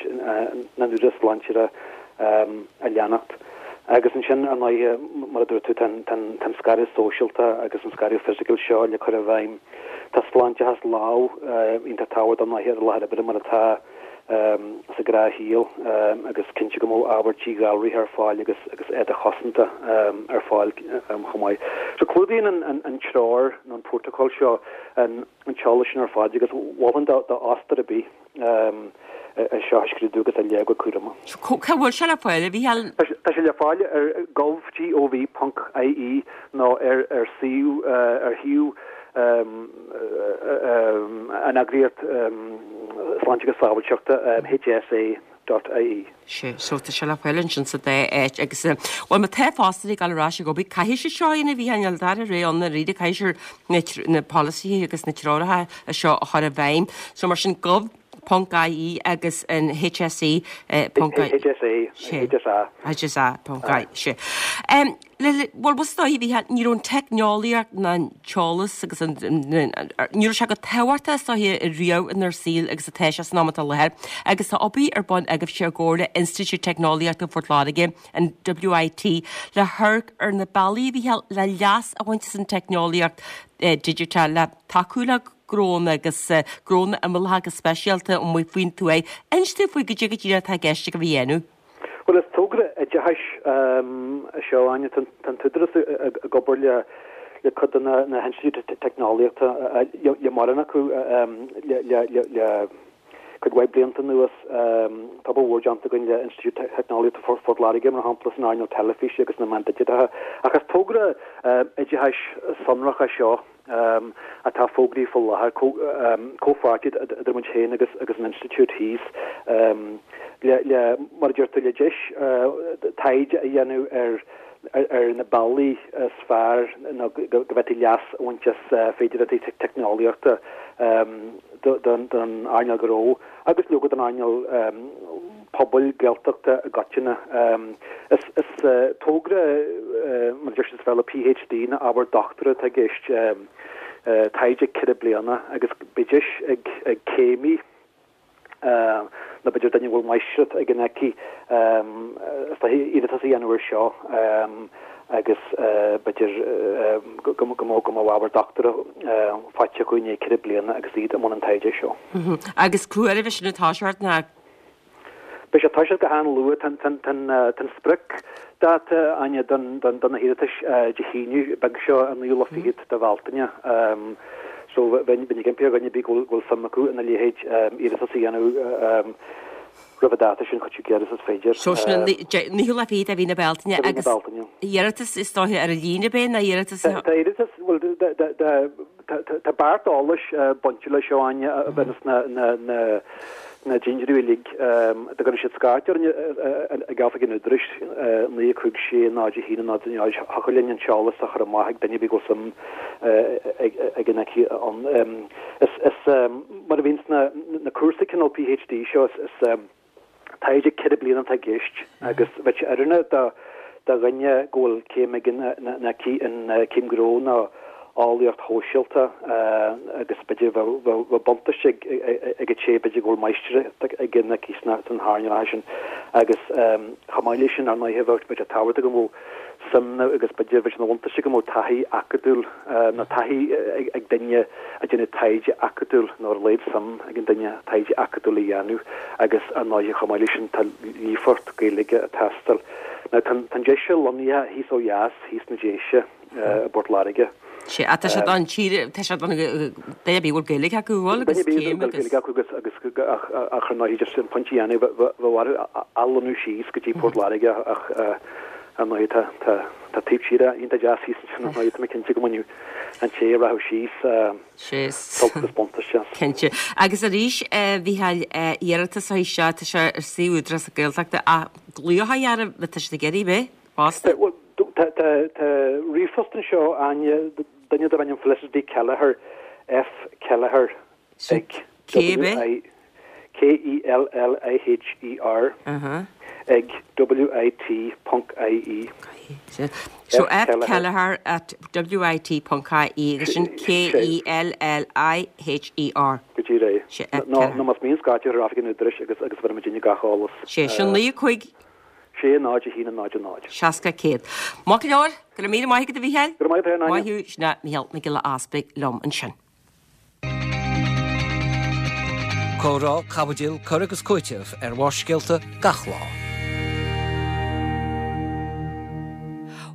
na n-údarás sláinte a leanacht. Agus ansin, ar ndóighe, mar a dúirt tú, tá an scaradh sóisialta agus an scaradh fisiciúil seo le cur i bhfeidhm. Tá sláinteachas lámh iontach tábhachtach ar ndóighe ar an láthair oibre mar atá sa ghnáthshaol agus cinntiú go mbeadh ábhar díghalraithe ar fáil agus agus éadaí cosanta ar fáil chomh maith. So clúdaíonn an treoir nó an protocol seo an t-eolas sin ar fad agus mholfainn do d'fhostóir ar bith é seo a scrúdú agus a léamh go cúramach. Cá bhfuil sé le fáil, a Mhícheáil? Tá sé le fáil ar gov, gov, ponc ie nó ar ar suíomh ar shuíomh an eagraíocht Sláinte agus Sábháilteachta, HSA dot ie. Sea, so tá sé le fáil ansin sa dá áit agus, bhuel, má tá fostóirí ag dul ar ais ag obair, caithfidh siad seo a dhéanamh, a Mhícheáil, níl dara rogha ann dáiríre, caithfidh siad na polasaithe agus na treoracha seo a chur i bhfeidhm. So mar sin, gov ponc ie agus an HSE ponc ie. HSA, HSA. HSA ponc ie, sea. Bhuel, is dóigh, a Mhícheáil, ní raibh an teicneolaíocht ná an t-eolas agus an, ní raibh sé chomh tábhachtach is dóiche riamh inár saol agus atá sé san am atá i láthair agus tá obair ar bun agaibhse i gcomhar le Institiúid Teicneolaíochta Phort Láirge, an WIT, le hamharc ar na bealaí, a Mhícheáil, le leas a bhaint as an teicneolaíocht digiteach le tacú le gnónna agus gnónna imeallacha go speisialta amuigh faoin tuaith. Inis dúinn faoi goidé go díreach atá i gceist agaibh a dhéanamh. Bhuel, is togra oideachais é seo, Áine. Tá an tÚdarás ag obair le cuid de na hinstitiúidí teicneolaíochta, le mórán acu, le. cuid mhaith blianta anuas. Tá obair mhór déanta againn le Institiúid Teicneolaíochta Phort Láirge, mar shampla, san earnáil teilifíse agus na meán digiteacha. Ach is togra oideachais sonrach é seo atá fógraithe faoi láthair, comhpháirtíocht idir muid féin agus an Institiúid thíos, le, mar a deir tú, le deis taighde a dhéanamh ar ar na bealaí is fearr nó go bhféadfaí leas a bhaint as féidearthachtaí teicneolaíochta don earnáil ghnó agus leoga don earnáil pobail Gaeltachta i gcoitinne. Is togra, mar a deir siad sa Bhéarla, PhD nó ábhar dochtúra atá i gceist, taighde 4 bliana agus beidh deis ag céimí, nó b'fhéidir duine a bhfuil máistreacht aige nó aici, is dóiche iarratas a dhéanamh air seo agus b'fhéidir go mbeadh ábhar dochtúra faighte acu i ndiaidh 4 bliana agus iad i mbun an taighde seo. Agus cá huair a bheidh sin ag toiseacht ná? Beidh sé ag toiseacht go han-luath. Tá an spriocdháta, Áine, do na hiarratais Dé hAoine beag seo, an naoú lá fichead de Bhealtaine. So bheinn ag impí ar dhuine ar bith go bhfuil suim acu ina leithéid iarratas a dhéanamh roimh an dáta sin, chomh gairid is is féidir. So sin an naoú lá fichead de mhí na Bealtaine agus iarratas is dóiche ar líne ab é nó iarratas? Tá iarratas, bhuel, Tá beart eolais bainte leis seo, Áine, a bhaineas na dintiúirí uilig. Dá gcuirfeadh siad scairt orainn ag oifig an Údaráis, 9 5 6 0 1 0 0, thiocfadh linn an t-eolas a chur amach ag duine ar bith go bhfuil suim aige nó aici ann. Is mar a bhíonn sna cúrsaí cineál PhD seo, is Taighde 4 bliana atá i gceist agus bheadh sé oiriúnach do dhuine go bhfuil céim aige nó aici in céim ghnó nó eolaíocht shóisialta agus b'fhéidir bheadh buntáiste ag an té b'fhéidir go bhfuil máistreacht aige nó aici sna hearnálacha sin agus chomh maith leis sin ar ndóighe bheadh sé tábhachtach go mbeadh suim agus b'fhéidir bheadh sé ina bhuntáiste go mbeadh taithí acadúil nó taithí ag duine ag déanamh taighde acadúil nó ar a laghad suim ag an duine taighde acadúil a dhéanamh agus ar ndóighe chomh maith leis sin tá líofacht Gaeilge ag teastáil. Now tá an deis seo lonnaithe thíos ó dheas, thíos sna Déise i bPort Láirge. Sea, tá sé don tír, tá sé don duine ar bith a bhfuil Gaeilge acu, bhfuil agus céim agus. Duine ar bith a bhfuil Gaeilge acu agus ach ar ndóighe just an pointe a dhéanamh bheadh orthu athlonnú síos go dtí Port Láirge ach ar ndóighe tá tá Tá taobh tíre iontach deas thíos ansin ar ndóighe, tá mé cinnte go mbainfeadh an té a rachadh síos sult agus buntáiste as. Cinnte. Agus arís, a Mhícheáil, iarratas a seo, tá sé ar suíomh Údarás na Gaeltachta ach glaoch a dhearbh má tá siad ag iarraidh bheith fosta. Bhuel, tá ríomhphost anseo, Áine, duine darb ainm Felicity Kelleher, F Kelleher ag W I K E L L I H E R ag W I T ponc I E. So F Kelleher at W I T ponc I E agus sin K E L L I H E R. Go díreach é. Nó más mian scairt ar oifig an Údaráis agus agus bhéarfaidh muidinne gach eolas. Sé sin 9 5. 6 0 1 0 0. 60 100. Maith go leor, go raibh míle maith agat a Mhícheáil. Go raibh maith agat féin, Áine. Maith thú, sin é Mícheál Mac Giolla Easpaig liom ansin. Comhrá, caibidil, cur agus cúiteamh ar Bharrscéalta gach lá.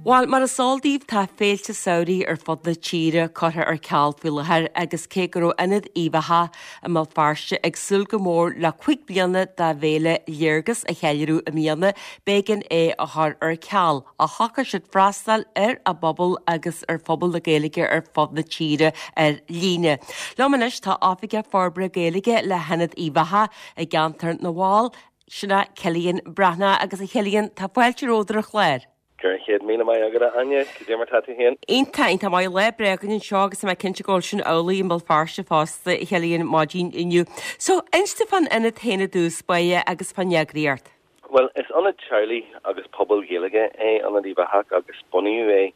Bhuel, mar is eol daoibh, tá féilte samhraidh ar fud na tíre curtha ar ceal faoi láthair agus cé go raibh Ionad Uíbh Eachach i mBéal Feirste ag súil go mór le 5 bliana dá bhféile Léargas a cheiliúradh i mbliana, b'éigean é a chur ar ceal. Ach shocraigh siad freastal ar a bpobal agus ar phobal na Gaeilge ar fud na tíre ar líne. Liom anois tá Oifigeach Forbartha Gaeilge le hIonad Uíbh Eachach i gceantar na bhFál, sin é Cillian Breathnach. Agus a Chillian, tá fáilte romhat ar an chlár. Go raibh 100,000 maith agat a Áine, cad é mar tá tú féin? Iontach, iontach maith. Lá breá againn anseo agus tá mé cinnte go bhfuil sin amhlaidh i mBéal Feirste fosta, a Chillian, maidin inniu. So, inis domh fán ionad féin i dtús báire agus fán eagraíocht. Bhuel, is ionad teaghlaigh agus pobail Ghaeilge é Ionad Uíbh Eachach agus bunaíodh é,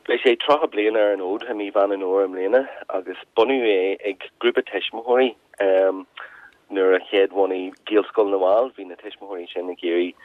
beidh sé 30 bliain ar an fhód i mí Mheán an Fhómhair i mbliana agus bunaíodh é ag grúpa tuismitheoirí nuair a chéad bhunaigh Gaelscoil na bhFál. Bhí na tuismitheoirí sin ag iarraidh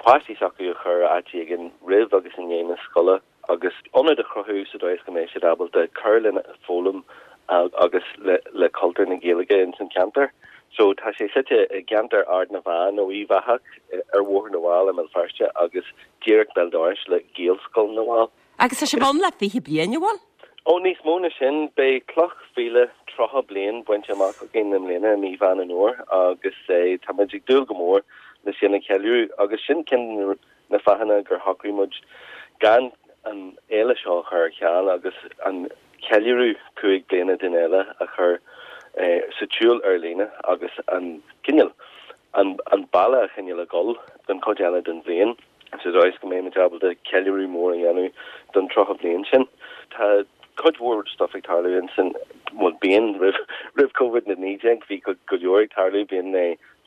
páistí s'acu a chur áit éigin roimh agus i ndiaidh na scoile. agus ionad a chruthú sa dóigh is go mbeidh siad ábalta cur lena foghlaim agus le cultúr na Gaeilge ins an cheantar. So tá sé suite i gceantar Ard na bhFeá nó Uíbh Eachach ar Bhóthar na bhFál i mBéal Feirste agus díreach béal dorais le Gaelscoil na bhFál. Agus tá sibh ann le 20 bliain, an bhfuil? Ó, níos mó na sin, beidh cloch mhíle 30 bliain bainte amach againn i mbliana i mí Mheán an Fhómhair agus tá muid ag dúil go mór le sin a cheiliúradh agus sin ceann de na fáthanna gur shocraigh muid gan an fhéile seo a chur ar ceal agus an ceiliúradh 5 bliana den fhéile a chur sa tsiúl ar líne agus an cineál an bealach a choinneáil ag dul don chuid eile den bhliain sa dóigh is go mbeidh muid ábalta ceiliúradh mór a dhéanamh don 30 bliain sin. Tá cuid mhór stuif ag tarlú ansin, bhuel bíonn, roimh roimh Covid-19 bhí go leor ag tarlú, bíonn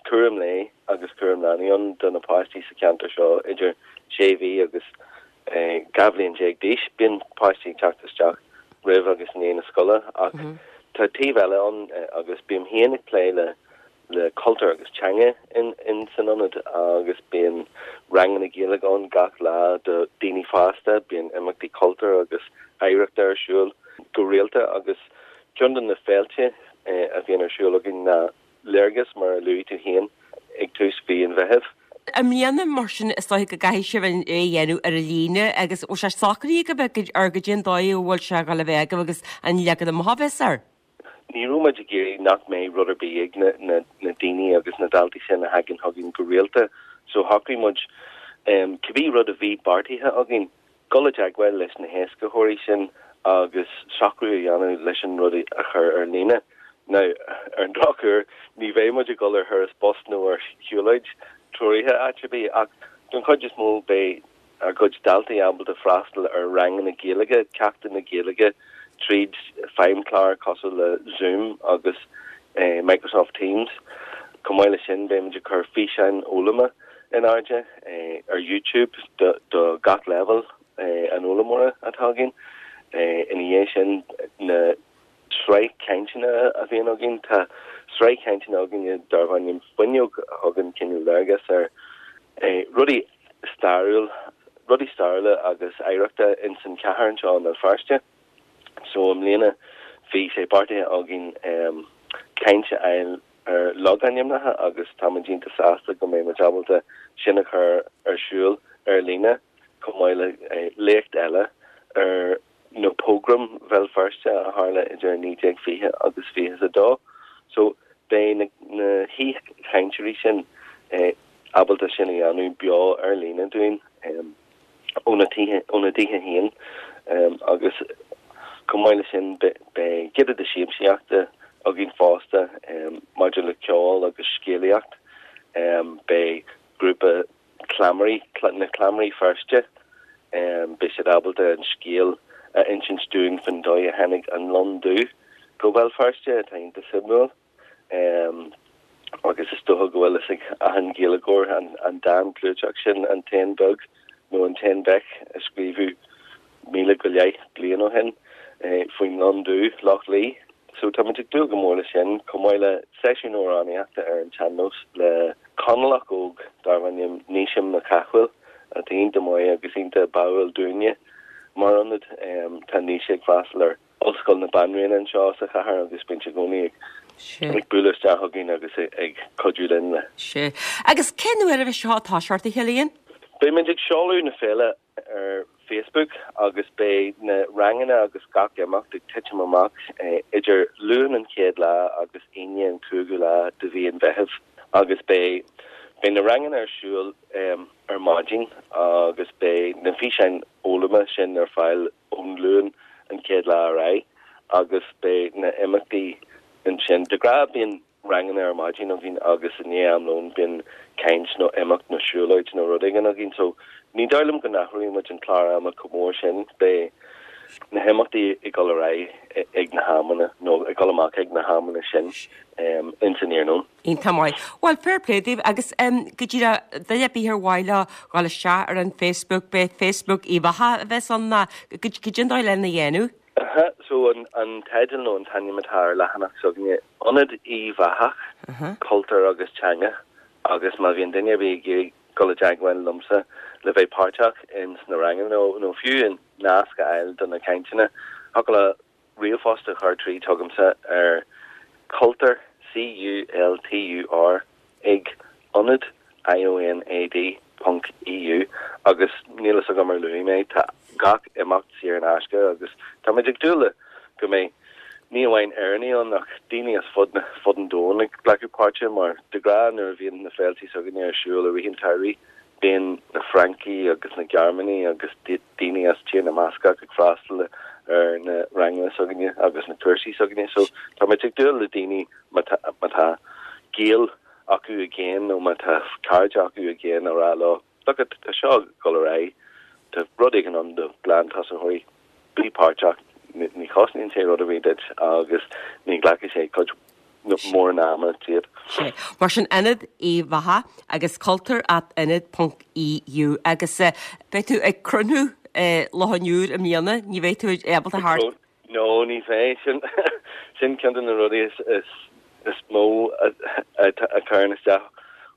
cúram lae agus cúram leanaí ann do na páistí sa cheantar seo idir sé mhí agus 12 bhliain d'aois. Bíonn páistí ag teacht isteach roimh agus i ndiaidh na scoile ach tá taobh eile ann agus bím féin ag plé le le cultúr agus teanga in san ionad agus bíonn ranganna Gaeilge ann gach lá do daoine fásta, bíonn imeachtaí cultúir agus oidhreachta ar siúl go rialta agus ceann de na féilte a bhíonn ar siúl againn ná Léargas mar a luaigh tú féin ag tús mhí an Mheithimh. I mbliana, mar sin, is dóiche go gcaithfidh sibh é a dhéanamh ar líne agus bhfuil sé socraithe agaibh ar goidé an dóigh a bhfuil sé ag dul a bheith agaibh agus an leagan amach a bheas air? Ní raibh muid ag iarraidh nach mbeidh rud ar bith ag na daoine agus na daltaí sin a thagann chugainn go rialta so shocraigh muid cibé rud a bhí beartaithe againn, dul i dteagmháil leis na héascaitheoirí sin agus socrú a dhéanamh leis an rud a chur ar líne. Now, ar an drochuair, ní bheidh muid ag dul ar thuras bus nó ar shiúlóid treoraithe áit ar bith ach don chuid is mó beidh ár gcuid daltaí ábalta freastal ar ranganna Gaeilge, ceachtanna Gaeilge tríd feidhmchláir cosúil le Zoom agus Microsoft Teams. Chomh maith leis sin, beimid ag cur físeáin fhoghlama in airde ar YouTube do gach leibhéal an fhoghlaimeora atá againn. Ina dhiaidh sin, na. sraith cainteanna a bhíonn againn. Tá sraith cainteanna againne darb ainm Fuinneog a thugann cineál léargas ar rudaí stairiúil, rudaí stairiúla agus oidhreachta ins an chathair anseo i mBéal Feirste. So i mbliana bhí sé beartaithe againn caint a fháil ar logainmneacha agus táimid iontach sásta go mbeidh muid ábalta sin a chur ar siúl ar líne chomh maith le léacht eile ar na pógraim Bhéal Feirste a tharla idir 1920 agus 22. So beidh na na haoichainteoirí sin ábalta sin a dhéanamh beo ar líne dúinn óna tithe óna dtithe féin agus chomh maith leis sin beidh giota de siamsaíochta againn fosta maidir le ceol agus scéalaíocht. Beidh grúpa Cleamairí, na Cleamairí Feirste, beidh siad ábalta an scéal a insint dúinn faoin dóigh a tháinig an lon dubh go Béal Feirste, atá iontach suimiúil. Agus is dócha go bhfuil fhios ag achan Ghaeilgeoir an dán clúiteach sin, An t-éan beag nó An t-éan beach a scríobhadh 1000 go leith bliain ó shin faoin lon dubh, Loch Lao. So táimid ag dúil go mór leis sin, chomh maith le seisiún amhránaíochta ar an tsean-nós le Conallach óg darb ainm Naoise Mac Cathmhaoil, atá iontach maith agus iontach báúil dúinne mar ionad. Tá Naoise ag freastal ar Ollscoil na Banríona anseo sa chathair agus bíonn sé i gcónaí ag bualadh isteach chugainn agus ag cuidiú linn le. Sea. Agus cén uair a bheidh seo ag toiseacht, a Chillian? Beimid ag seoladh na féile ar Facebook agus beidh na ranganna agus gach imeacht ag titim amach idir Luan an chéad lá agus Aoine an cúigiú lá de mhí an Mheithimh agus beidh beidh na ranganna ar siúl ar maidin agus beidh na físeáin fhoghlama sin ar fáil ón Luan an chéad lá ar aghaidh agus beidh na imeachtaí ansin. De ghnáth bíonn ranganna ar maidin againn agus i ndiaidh am lóin bíonn caint nó imeacht nó siúlóid nó rud éigin againn so ní dóigh liom go n-athróidh muid an clár ama chomh mór sin. Beidh na himeachtaí ag dul ar aghaidh ag na hamanna nó ag dul amach ag na hamanna sin ins an iarnóin. Iontach maith. Bhuel, fair play daoibh agus go díreach, duine ar bith ar mhaith leo dhul isteach ar an Facebook, b'é Facebook Uíbh Eachach a bheas ann ná goidé an dóigh lena dhéanamh? Aha, so an teideal nó an t-ainm atá ar leathanach s'againne, Ionad Uíbh Eachach, Cultúr agus Teanga, agus má bhíonn duine ar bith ag iarraidh dul i dteagmháil liomsa le bheith páirteach ins na ranganna nó fiú an nasc a fháil do na cainteanna, thiocfadh leo ríomhphost a chur tríd chugamsa ar cultur, C-U-L-T-U-R, ag ionad, I-O-N-A-D, ponc E-U, agus níl fhios agam ar luaigh mé, tá. gach imeacht saor in aisce agus táimid ag dúil le go mbeidh ní amháin Éireannaigh ann ach daoine as fud na fud an domhain ag glacadh páirte mar de ghnáth nuair a bhíonn na féiltí s'againne ar siúl i rith an tsamhraidh bíonn na Francaigh agus na Gearmánaigh agus daoine as Tír na mBascach ag freastal ar na ranganna s'againne agus na cúrsaí s'againne so táimid ag dúil le daoine má tá má tá gaol acu i gcéin nó má tá cairde acu i gcéin a rá leo Look it, tá seo ag dul ar aghaidh, tá rud éigin ann do ghlantosaitheoirí, bí páirteach, ní chosnaíonn sé rud ar bith duit agus ní ghlacfaidh sé cuid mhór ama díot. Sea. Mar sin Ionad Uíbh Eachach agus cultúr at ionad ponc EU agus beidh tú ag crónú Loch an Iúir i mbliana, ní bheidh tú ábalta thart. No, ní bheidh. Sin, sin ceann de na rudaí is, is, is mó a, a, a chuireann isteach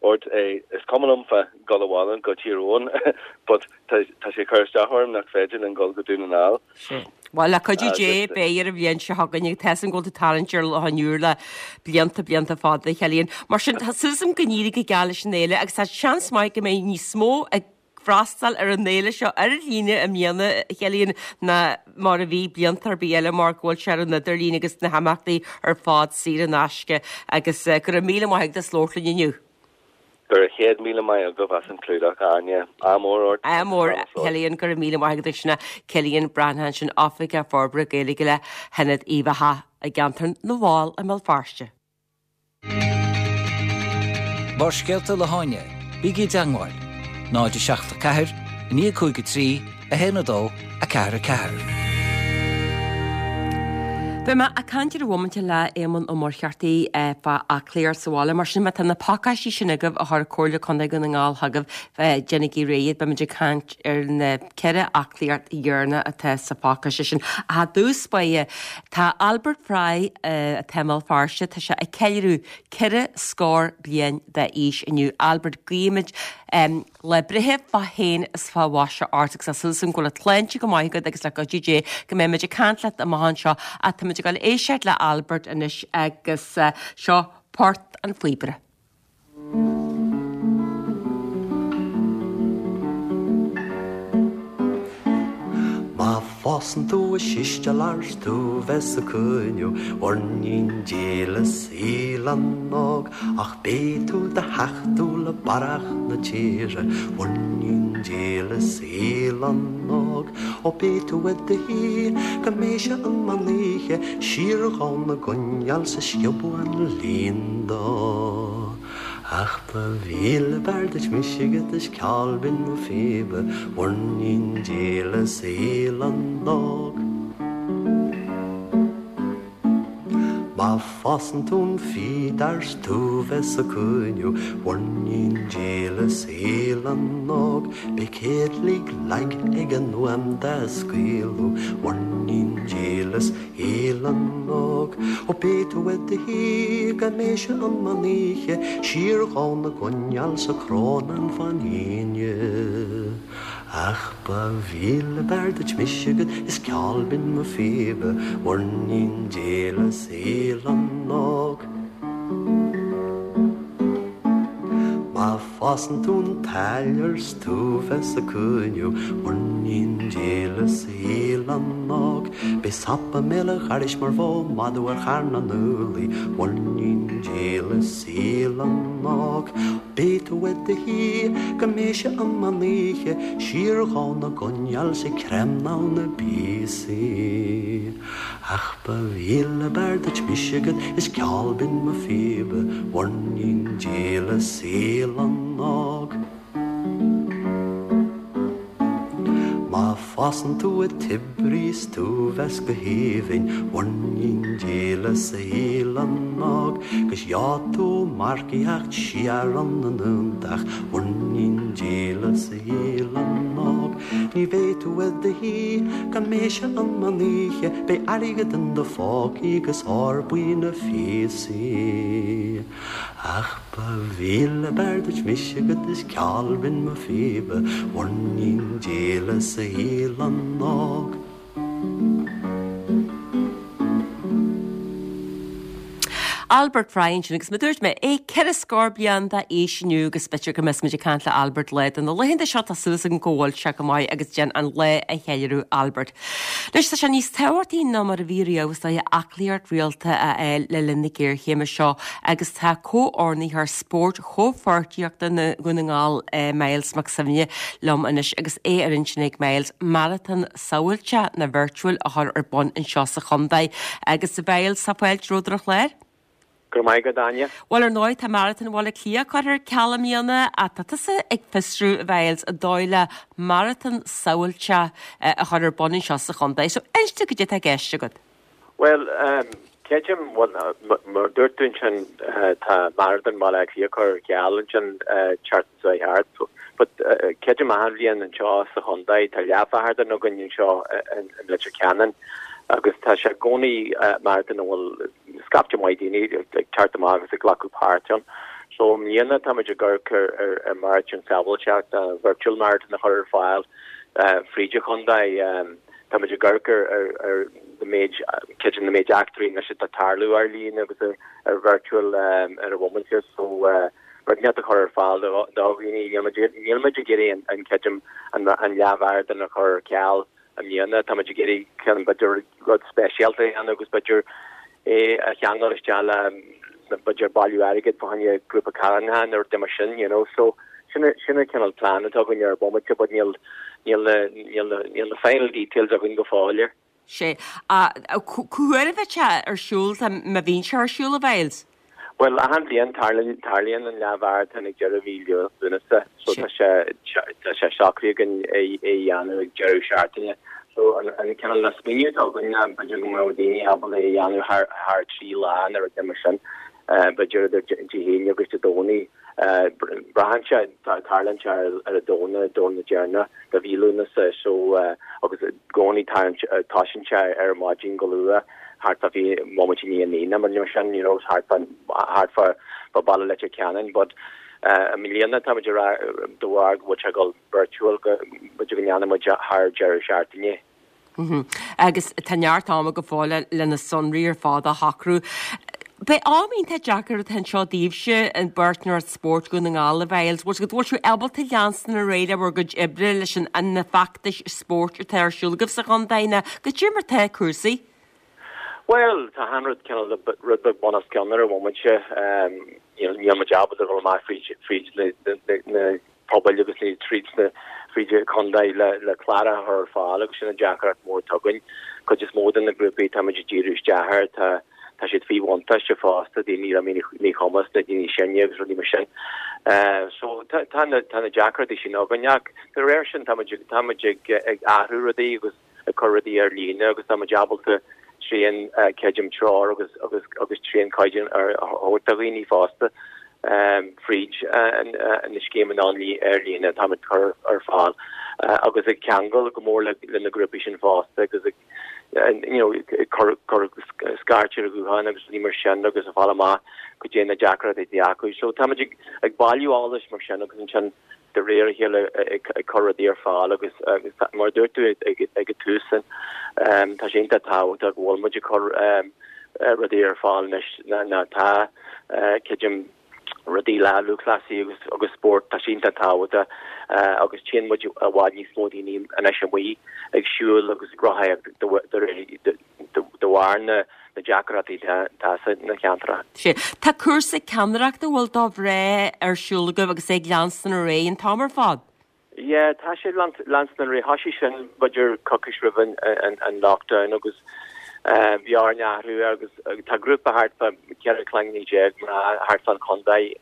ort. Is cuma liom fá dhul abhaile go Tír Eoghain but tá, tá sé ag cur isteach orm nach féidir linn dul go Dún na nGall. Sea. Bhuel, le cuidiú Dé, beidh ar an bhliain seo chugainn agus tá a fhios agam go bhfuil tú ag tarraingt ar Loch an Iúir le blianta, blianta fada, a Chillian. Mar sin, tá súil agam go n-éirí go geal leis an fhéile agus tá seans maith go mbeidh níos mó ag freastal ar an fhéile seo ar líne i mbliana, a Chillian, ná mar a bhí blianta ar bith eile mar go bhfuil sé ar an idirlíon agus na himeachtaí ar fad saor in aisce agus go raibh míle maith agat as labhairt linn inniu. Go raibh 100,000 maith agaibh as an clúdach, a Áine. Ádh mór ort. Ádh mór, a Chillian, go raibh míle maith agat. Sin é Cillian Breathnach ansin, Oifigeach Forbartha Gaeilge le hIonad Uíbh Eachach i gceantar na bhFál i mBéal Feirste. Barrscéalta le hÁine, bígí i dteangmháil, 0 7 4 9 5 3 1 2 4 4. Beidh mé ag caint ar an bhomaite le Éamonn Ó Muircheartaigh fá aclaíocht sa bhaile. Mar sin, má tá na pacáistí sin agaibh a chuir Comhairle Contae Dhún na nGall chugaibh, déanaigí réidh iad. Beimid ag caint ar na ceithre aclaíocht dheireanach atá sa phacáiste sin. Ach i dtús báire, tá Albert Fry, atá i mBéal Feirste, tá sé ag ceiliúradh ceithre scór bliain d'aois inniu. Albert, guímid lá breithe fá shéan is fá mhaise ort agus tá súil agam go bhfuil an tsláinte go maith agat agus le cuidiú Dé go mbeimid ag caint leat amach anseo. Ach táimid ag dul éisteacht le Albert anois agus seo Port an Phíobaire. Má fásann tú i sisteal ars tú bheith sa cuinniú mhuirnín dílis Oileán Óg ach beidh tú do theachtadh le barrach na tíre mhuirnín dílis Oileán Óg Ó beidh tú i do shuí go mbeidh sé an meán oíche siar dhá na gcoinneal 's ag sciobadh an lín dó. Ach ba mhíle b'fhearr duit mise agat is ceol binn mo phíbe, mhuirnín dílis Oileán Óg. Má fásann tú an fíd ars tú bheith sa cúinniú, mhuirnín dílis Oileán Óg, beidh céadlaigh lag ag an uaim dá scaoileadh, mhuirnín dílis Oileán Óg. Ó beidh tú i do shuí go mbeidh sé an meán oíche, siar dhá na gcoinneal sa crónán fán thine. Ach ba mhíle b'fhearr duit mise agat is ceol binn mo phíbe, mhuirnín dílis Oileán Óg. Má fásann tú an t-áiléar 's tú bheith sa cúinniú, mhuirnín dílis Oileán Óg, beidh sop i mbéal an gharrais mar bheadh madadh ar charn an úllaí, mhuirnín dílis Oileán Óg. Beidh tú i do shuí go mbeidh sé an meán oíche, siar dhá na gcoinneal 's ag creimneáil na bpíosaí. Ach ba mhíle b'fhearr duit mise agat is ceol binn mo phíbe, mhuirnín dílis Oileán Óg. Má fásann tú i Tibrí 's tú bheas go haoibhinn, mhuirnín dílis Oileán Óg, 'gus gheobhaidh tú marcaíocht siar 'on na ndúntach, mhuirnín dílis Oileán Óg. Ní bheidh tú i do shuí go mbeidh sé an meán oíche, beidh airgead in do phócaí 'gus ór buí na phíosaí. Ach ba mhíle b'fhearr duit mise agat is ceol binn mo phíbe, mhuirnín dílis Oileán Óg. Albert Fry ansin agus mar a dúirt mé, é 4 scór bliain d'aois inniu agus b'fhéidir go mbeas muid ag caint le Albert lá de na laethanta seo, tá súil agam go bhfuil sé go maith agus déan an lá a cheiliúradh Albert. Anois tá sé níos tábhachtaí ná mar a bhí riamh is dóiche aclaíocht rialta a fháil le linn na géarchéime seo agus tá comhordaitheoir spóirt Chomhpháirtíochta Dhún na nGall Myles Mac Suibhne liom anois agus é ar intinn ag Myles maratón samhailteach nó virtual a chur ar bun anseo sa chontae. Agus a Mhyles, tá fáilte romhat ar an chlár. Go raibh maith agat, Áine. Bhuel, ar ndóigh, tá Maratón Bhaile Átha Cliath curtha ar ceal i mbliana ach tá tusa ag fiosrú, a Mhyles, an dóigh le maratón samhailteach a chur ar bun anseo sa chontae. So, inis dom cad é atá i gceist agat. Bhuel, creidim, bhuel, mar a dúirt tú ansin, tá Maratón Bhaile Átha Cliath curtha ar ceal ansin tseachtain seo thart, but creidim achan bhliain anseo sa chontae, tá leathmharatón againn anseo i Leitir Ceanainn agus tá sé i gcónaí maratón a bhfuil scaifte maith daoine ag teacht amach agus ag glacadh páirt ann. So i mbliana táimid ag amharc ar mharatón samhailteach, virtual marathon a chur ar fáil fríd an chontae. Táimid ag amharc ar na méid, creidim na méid eachtraí anois atá ag tarlú ar líne agus ar virtual ar an bhomaite so rud inteacht a chur ar fáil do dhaoine. Níl muid ag iarraidh an creidim an leathmharatón a chur ar ceal i mbliana. Táimid ag iarraidh ceann b'fhéidir rud speisialta a dhéanamh agus b'fhéidir é a cheangal isteach le b'fhéidir bailiú airgid fá choinne grúpa carthanachta nó rud mar sin, you know. So sin sin an cineál plean atá againn ar an bomaite but níl níl na níl na níl na final details againn go fóill air. Sea. Cá huair a bheidh sé ar siúl, má bhíonn sé ar siúl, a Mhyles? Bhuel, achan bhliain tarlaíonn tarlaíonn an leathmharatón ag deireadh mhí Lúnasa so tá sé tá sé socraithe againn é é a dhéanamh ag deireadh seachtaine. So an an cineál na smaoineamh atá againn ná b'fhéidir go mbeadh daoine ábalta é a dhéanamh thar thar 3 lá nó rud mar sin. B'fhéidir idir Dé hAoine agus Dé Domhnaigh. Braitheann sé, tarlaíonn sé ar an Domhnach, Domhnach deireanach de mhí Lúnasa so agus i gcónaí tosaíonn sé ar maidin go luath thart fá bhí bomaite i ndiaidh a 9 nó mar sin, you know, thart fá thart fá fá baile Leitir Ceanainn but i mbliana táimid ag rá de bharr go bhfuil sé ag dul virtual go b'fhéidir go ndéanfaidh muid thar deireadh seachtaine. Agus tá neart ama go fóill le na sonraí ar fad a shocrú. Beidh am iontach deacair atá anseo daoibhse, an bPáirtnéireacht Spóirt Dhún na nGall, a Mhyles. Bhfuil bhfuil sibh ábalta leanstan ar aghaidh le bhur gcuid oibre leis an na feachtais spóirt atá ar siúl agaibh sa chontae nó cad é mar atá cúrsaí? Bhuel, tá achan rud cineál rud beag bun os cionn ar an bhomaite. Níl muid ábalta dul amach fríd fríd na na pobail agus ní tríd sna fríd an chontae le le clár a chur ar fáil agus sin an deacracht mór atá againn. Cuid is mó de na grúpaí tá muid ag díriú isteach air tá tá siad faoi bhuntáiste fosta, daoine le míchumas na daoine sine agus rudaí mar sin. So tá tá na tá na deacrachtaí sin againn ach de réir sin tá muid tá muid ag ag athrú rudaí agus ag cur rudaí ar líne agus tá muid ábalta tréan creidim treoir agus agus agus tréan caighdeán a thabhairt do dhaoine fosta fríd na scéimeanna ar líne atá muid cur ar fáil agus ag ceangal go mór le na grúpaí sin fosta agus ag you know ag cur cur scairt ar ghuthán agus rudaí mar sin agus ag fáil amach cad é na deacrachtaí atá acu. So tá muid ag ag bailiú eolais mar sin agus ansin de réir a chéile ag cur rudaí ar fáil agus mar a dúirt tú ag an tús tá sé iontach tábhachtach go bhfuil muid ag cur rudaí ar fáil anois ná tá creidim rudaí le lúthchleasaí agus agus spórt tá sé iontach tábhachtach agus tchíonn muid i bhfad níos mó daoine anois amuigh ag siúl agus ag rothaíocht de de bharr na deacrachtaí atá sna ceantracha. Sea. Tá cúrsa ceannaireachta a bhfuil do mhná ar siúl agaibh agus é ag leanstan ar aghaidh an t-am ar fad? Yeah, tá sé ag leanstan ar aghaidh. Thoisigh sin b'fhéidir coicís roimh an lockdown agus bhí orainn athrú air agus tá grúpa thart fá 14 cloigne mná thart fán chontae,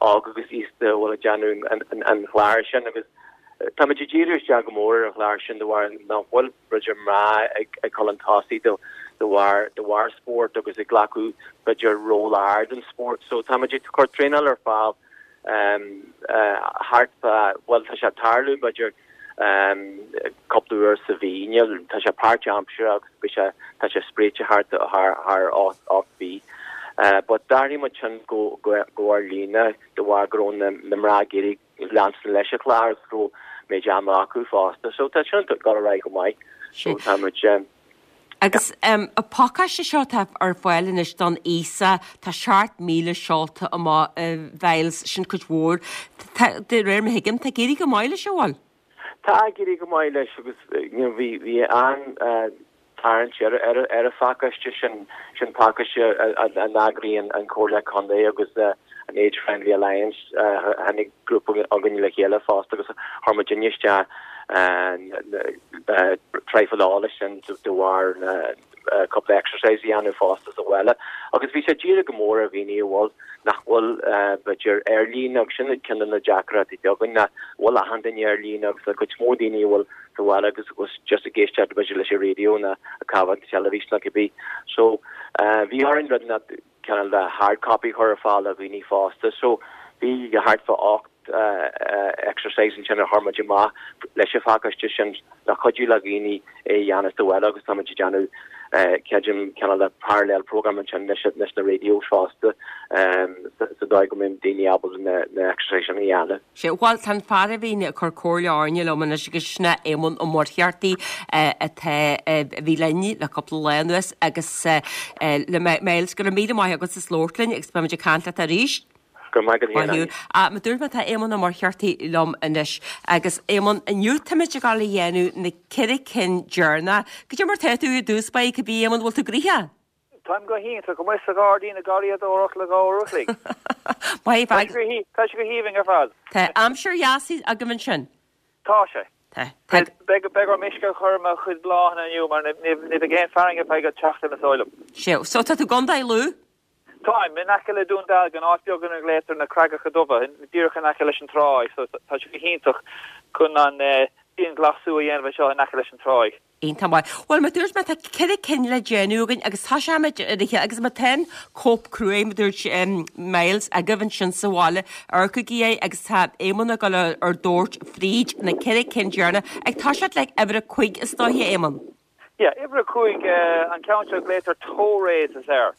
óg agus aosta a bhfuil ag déanamh an chláir sin agus táimid ag díriú isteach go mór ar an chlár sin de bharr nach bhfuil b'fhéidir mná ag dul chun tosaigh de bharr de bharr spórt agus ag glacadh b'fhéidir ról ard in spórt. So táimid ag cur traenáil ar fáil thart fá, bhuel tá sé ag tarlú b'fhéidir cúpla uair sa mhí, níl, tá sé páirtaimseartha agus beidh sé, tá sé spréite thart thar thar 8 mhí. But d'athraigh muid sin go go ar líne de bharr go raibh na na mná ag iarraidh leanstan leis an chlár agus go raibh méid ama acu fosta. So tá sin ag dul ar aghaidh go maith. So tá muid. Agus an pacáiste seo atá ar fáil anois don aosach, tá 7,000 seolta amach a Mhyles, sin cuid mhór. Tá, de réir mar a thuigim, tá ag éirí go maith leis, an bhfuil? Tá ag éirí go maith leis agus you know bhí bhí an-tarraingt ar ar ar an phacáiste sin, sin pacáiste a a n-eagraíonn an Comhairle Contae agus an Age Friendly Alliance. Tháinig grúpa againn le chéile fosta agus chuir muidinne isteach traidhfil eolais sin de bharr na cúpla exercise a dhéanamh fosta sa bhaile agus bhí sé dírithe go mór ar dhaoine a bhfuil nach bhfuil b'fhéidir ar líne agus sin ceann de na deacrachtaí againn nach bhfuil achan duine ar líne agus tá cuid mhór daoine a bhfuil sa bhaile agus agus just ag éisteacht b'fhéidir leis an raidió nó ag caitheamh an teilifís nó cibé. So bhí orainn rud nach cineál de hard copy a chur ar fáil do dhaoine fosta. So bhí thart fá 8 exercise ansin a chuir muid amach leis an phacáiste sin le cuidiú le dhaoine é a dhéanamh sa bhaile agus tá muid ag déanamh creidim cineál de parallel program ansin leis leis na radios fosta sa dóigh go mbeidh daoine ábalta na na exercise sin a dhéanamh. Sea, bhuel tá an fear a bhíonn ag cur comhairle orainne liom anois agus sin é Éamonn Ó Muircheartaigh atá a bhí linn le cúpla lá anuas agus le Myles go raibh míle maith agat as labhairt linn agus beimid ag caint leat arís. Go raibh maith agat féin, Áine. Mar a dúirt mé tá Éamonn Ó Muircheartaigh liom anois agus Éamonn inniu táimid ag dul a dhéanamh na ceithre cinn deireanacha. Cad é mar tá tú i dtús báire cibé Éamonn bhfuil tú gnoitheach? Táim go hiontach, amuigh sa ghairdín ag garraíodóireacht le dhá uair a chloig. Maith Tá sé tá sé go haoibhinn ar fad. Tá aimsir dheas agaibh ansin. Tá sé. Tá. Tá. Beidh beidh orm uisce a chur ar mo chuid bláthanna inniu mar ní ní bheidh aon fearthainn ar feadh seachtain is dóigh liom. Sea, so tá tú i gContae Lú? Táim, in aice le Dún Dealgan, áit beag ina nglaotar na Creagacha Dubha, díreach in aice leis an tráigh, so tá sé go hiontach chun an dianghlasú a dhéanamh anseo in aice leis an tráigh. Iontach maith. Bhuel, mar dúirt mé, tá ceithre cinn le déanamh againn agus tosóimid ar a chéile agus má tá an cóip cruaidh, mar dúirt Myles, agaibh ansin sa bhaile, amharcaigí air agus tá Éamonn ag dul ár dtabhairt fríd na ceithre cinn deireanacha ag toiseacht le uimhir a cúig is dóiche, Éamonn. Yeah, uimhir a cúig, an ceann seo, glaotar toe raises air.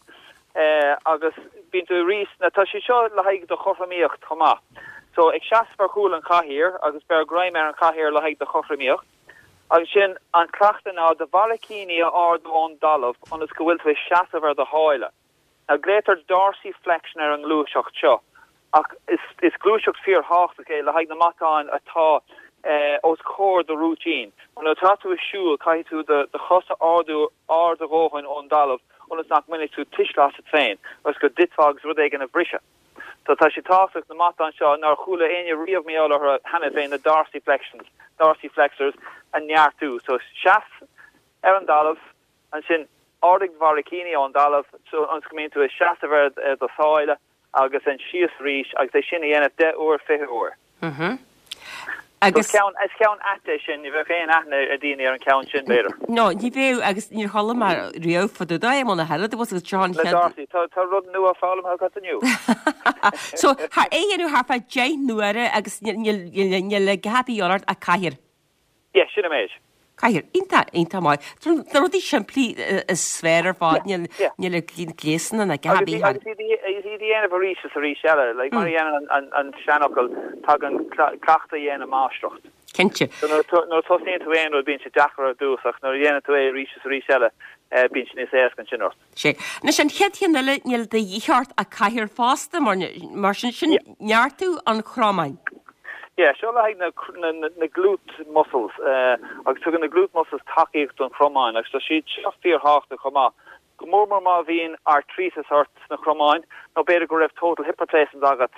Agus bíonn tú arís, now tá sé seo le haghaidh do chothromaíocht chomh maith. So ag seasamh ar chúl an chathaoir agus beir greim ar an chathaoir le haghaidh do chothromaíocht. Agus sin an cleachtadh ná do bharraicíní a ardú ón dtalamh ionas go bhfuil tú ag seasamh ar do sháile. Now glaotar dorsiflexion ar an ngluaiseacht seo ach is gluaiseacht fíorthábhachtach é le haghaidh na matáin atá os comhair do rúitín. Mar nuair atá tú ag siúl caithfidh tú do chos a ardú ard a dhóthain ón dtalamh ionas nach mbainfidh tú tuisle asat féin agus go dtitfeá agus rud éigin a bhriseadh. So tá sé tábhachtach na matáin seo nár chuala éinne riamh mar gheall orthu cheana féin, na dorsiflexions, dorsiflexors, a neartú. So seas ar an dtalamh, Ansin, ardaigh do bharraicíní ón dtalamh ionas go mbíonn tú ag seasamh ar do sháile agus ansin síos arís agus é sin a dhéanamh 10 uair, 20 uair. Agus. Is ceann, is ceann ait é sin, ní bheadh aon aithne ag daoine ar an cheann sin, b'fhéidir. No, ní bheadh agus níor chuala mé riamh fá dtaobh de é, muna thuilleadh, agus seo an Le chéad. Darcy, tá, tá rud nua foghlamtha agat inniu. So, é a dhéanamh thart fá 10 n-uaire agus níl, níl, níl, níl a dhath ar bith ort ach cathaoir. Yeah, sin an méid. Cathaoir. Iontach, iontach maith. Na rudaí simplí is fearr ar fad, níl níl gléasanna ná a dhath ar bith. Agus iad a dhéanamh arís is arís eile, like mar a dhéanann an seanfhocal, tagann cleachtadh a dhéanann máistreacht. Cinnte. So nuair a tosaíonn tú aon rud bíonn sé deacair ar dtús ach nuair a dhéanann tú é arís is arís eile bíonn sé níos éasca ansin ort. Sea. Anois an chéad cheann eile, níl de dhíth ort ach cathaoir fosta, mar, mar sin, sin neartú an chromáin. Yeah, seo le haghaidh na, na, na glute muscles, agus tugann na glute muscles tacaíocht don chromáin agus tá siad seo fíorthábhachtach chomh maith, go mór mór má bhíonn artríteas ort sna cromáin nó b'fhéidir go raibh total hip replacement agat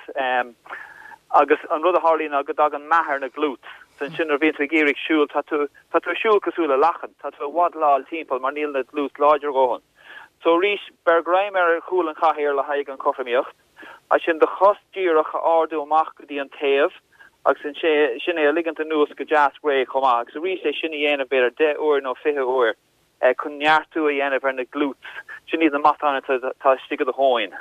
agus an rud a tharlaíonn ná go dtagann meath ar na glutes. So ansin nuair a bhíonn tú ag iarraidh siúl, tá tú, Tá tú ag siúl cosúil le lachan, tá tú ag waddleáil timpeall mar níl na glutes láidir a dhóthain. So arís, beir greim ar chúl an chathaoir le haghaidh an chothromaíocht, ansin do chos díreach a ardú amach go dtí an taobh agus ansin é a ligint anuas go deas réidh chomh maith agus arís é sin a dhéanamh b'fhéidir 10 uair nó 20 uair chun neartú a dhéanamh ar na glutes, sin iad na matáin atá istigh i do thóin.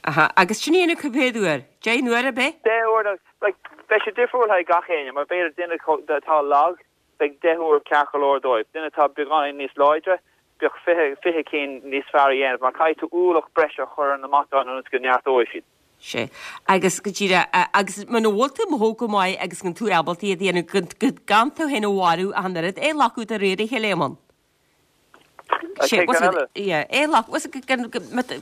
Aha, agus sin a dhéanamh cá mhéad uair? 10 n-uaire ab é? 10 uair, like, beidh sé difriúil le haghaidh gach éinne, mar b'fhéidir duine atá lag, beidh 10 uair ceart go leor dóibh, duine atá beagáinín níos láidre, bheadh 20, 20 cinn níos fearr a dhéanamh, mar caithfidh tú ualach breise a chur ar na matáin ionas go neartóidh siad. Sea, agus go díreach, agus muna bhfuil tú ag mothú go maith agus gan tú ábalta iad a dhéanamh, gan tú féin a mharú ach an oiread, é a ghlacadh de réir a chéile, Éamonn. An chéad ceann eile. Yeah, éadhlach,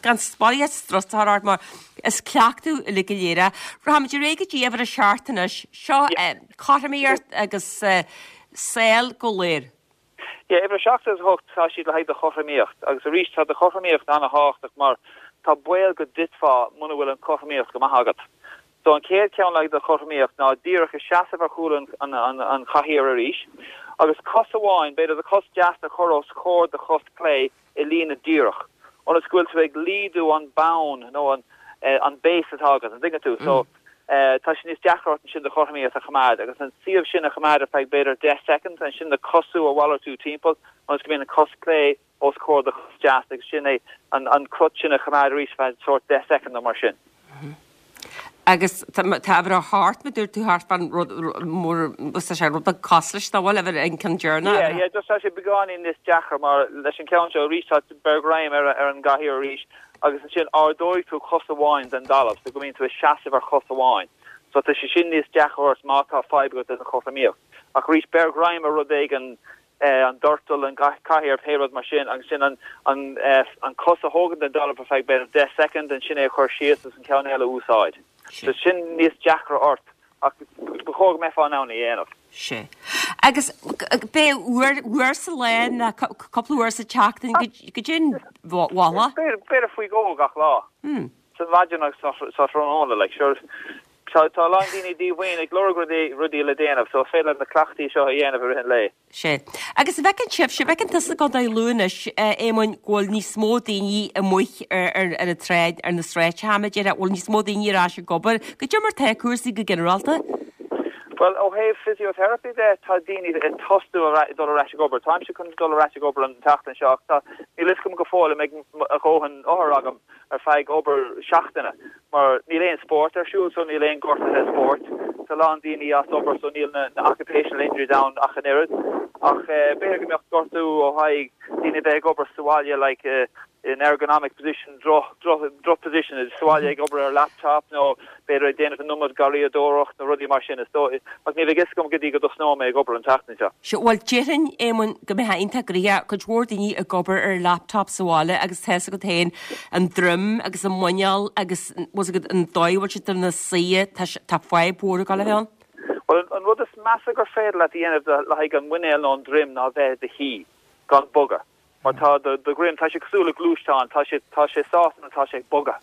gan spáineadh strus a chur ort mar is cleachtadh uilig go léir é. Rachaimid ar aghaidh go dtí uimhir a seacht anois. Seo cothromaíocht agus sáil go léir. Yeah, uimhir a 7 agus 8, tá siad le haghaidh do chothromaíocht. Agus arís, tá do chothromaíocht an-thábhachtach mar tá baol go dtitfeá muna bhfuil an chothromaíocht go maith agat. So an chéad cheann le haghaidh do chothromaíocht ná díreach ag seasamh ar chúl an chathaoir arís agus cos amháin, b'fhéidir do chos deas a chur os comhair do chos clé i líne díreach, ionas go bhfuil tú ag laghdú an bonn nó an an base atá agat, an dtuigeann tú? So tá sé níos deacra ort ansin do chothromaíocht a choimeád agus an suíomh sin a choimeád ar feadh b'fhéidir 10 soicind, ansin do cosú a mhalartú timpeall ionas go mbíonn an cos clé os comhair do chos deas agus sin é an crot sin a choimeád arís ar feadh sórt 10 soicind nó mar sin. Agus tá uimhir a hocht, mar dúirt tú thart fán rud mór, tá sé rud beag cosúil leis, nach bhfuil, uimhir an ceann deireanach. Yeah, yeah, just tá sé beagáinín níos deacra mar leis an ceann seo arís tá beir greim ar ar an gcathaoir arís agus ansin ardóidh tú cos amháin den dtalamh so go mbíonn tú ag seasamh ar chos amháin. So tá sé sin níos deacra ort má tá fadhb agat leis an chothromaíocht. Ach arís beir greim ar rud éigin an doirteal, an cathaoir, pé rud mar sin, agus sin an an cos a thógaint den dtalamh ar feadh b'fhéidir 10 soicind, ansin é a chur síos agus an ceann eile a úsáid. So sin níos deacra ort ach ba chóir go mbeifeá in ann é a dhéanamh. Sea. Agus b'é uair, uair sa lá nó cúpla uair sa tseachtain goidé an mholadh? B'fhéidir faoi dhó gach lá. Sa mhaidin agus sa tráthnóna, like, sure. Tá tá a lán daoine díomhaoin ag lorg rudaí rudaí le déanamh, so is féidir leo na cleachtaí seo a dhéanamh i rith an lae. Sea. Agus an bhfeiceann sibhse, an bhfeiceann tusa i gContae Lú anois, a Éamoinn, go bhfuil níos mó daoine amuigh ar ar ar an tsráid, ar na sráideacha, a déarfá, bhfuil níos mó daoine ar ais ag obair? Goidé mar tá cúrsaí go ginearálta? Bhuel, ó thaobh physiotherapy de, tá daoine ag tosú ar dul ar ais ag obair. Táimse chun dul ar ais ag obair an tseachtain seo ach tá, níl fhios agam go fóill an mbeidh a dhóthain othar agam ar feadh obair seachtaine mar níl aon spórt ar siúl so níl aon gortuithe spóirt. Tá a lán daoine as obair so níl na occupational injuries ann ach an oiread. Ach b'fhéidir go mbeadh gortú ó thaobh daoine a bheith ag obair sa bhaile like in ergonomic position, droch, droch, droch position sa bhaile ag obair ar laptop nó b'fhéidir ag déanamh an iomad garraíodóireacht nó rudaí mar sin is dóigh. Ach ní bheidh fhios agam go dtí go dtosnóidh mé ag obair an tseachtain seo. Sea, bhuel, déarfainn, Éamonn, go mbeifeá iontach gnoitheach, cuid mhór daoine ag obair ar laptop sa bhaile agus tá fhios agat féin an droim agus an muineál agus, bhfuil fhios agat, an dóigh a bhfuil siad ina suí, tá, tá fadhb mhór ag dul a bheith ann. Bhuel, an rud is measa gur féidir leat a dhéanamh le haghaidh an muinéal nó an droim ná bheith i do shuí gan bogadh. Mar tá do dhroim, tá sé cosúil le gluaisteán, tá sé, tá sé sásta nuair atá sé ag bogadh.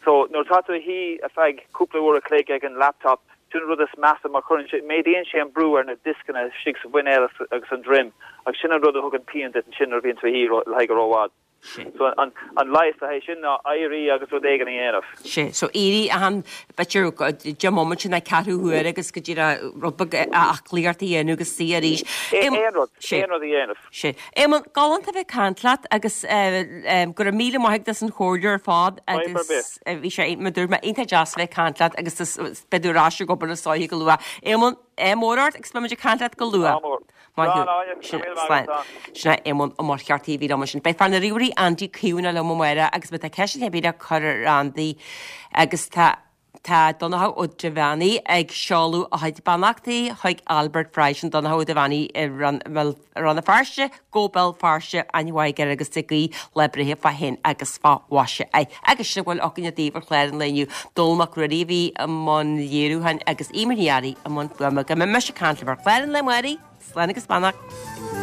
So, nuair atá tú a shuí ar feadh cúpla uair a chloig ag an laptop, sin an rud is measa mar cuireann sé, méadaíonn sé an brú ar na dioscanna istigh sa mhuinéal agus an droim agus sin an rud a thugann pian duit ansin nuair a bhíonn tú a shuí le haghaidh ró-fhad. So, an, an leigheas le haghaidh sin ná éirí agus rud éigin a dhéanamh. Sea, so éirí achan, b'fhéidir, 10 mbomaite nó ceathrú huaire agus go díreach rud beag aclaíocht a dhéanamh agus suí arís. Aon rud, aon rud a dhéanamh. Sea. Éamonn, galánta a bheith ag caint leat agus go raibh míle maith agat as an chomhairle ar fad agus bhí sé, mar dúirt mé, iontach deas a bheith ag caint leat agus beidh tú ar ais ag obair is dóiche go luath. Éamonn, ádh mór ort agus beidh muid ag caint leat go luath. Ádh mór. Maith thú. Sin, slán. Sin é Éamonn Ó Muircheartaigh a bhí liom ansin. Beidh fear na ríomhairí Andy Caomhánach liom amárach agus má tá ceist ar bith le cur ar Andy agus tá Tá Donnchadh Ó Duibheannaigh ag seoladh a chuid beannachtaí chuig Albert Fry, sin Donnchadh Ó Duibheannaigh i Rann na Feirste, Go Béal Feirste, aithne mhaith aige air agus ag guí lá breithe fá shéan agus fá mhaise air. Agus sin a bhfuil againne daoibh ar chlár an lae inniu. Dónall Mac Ruairí a bhí i mbun léiriúcháin agus Eimear Ní Fhearraigh i mbun fuaime. Go mbeidh mise ag caint libh ar chlár an lae amárach. Slán agus beannacht.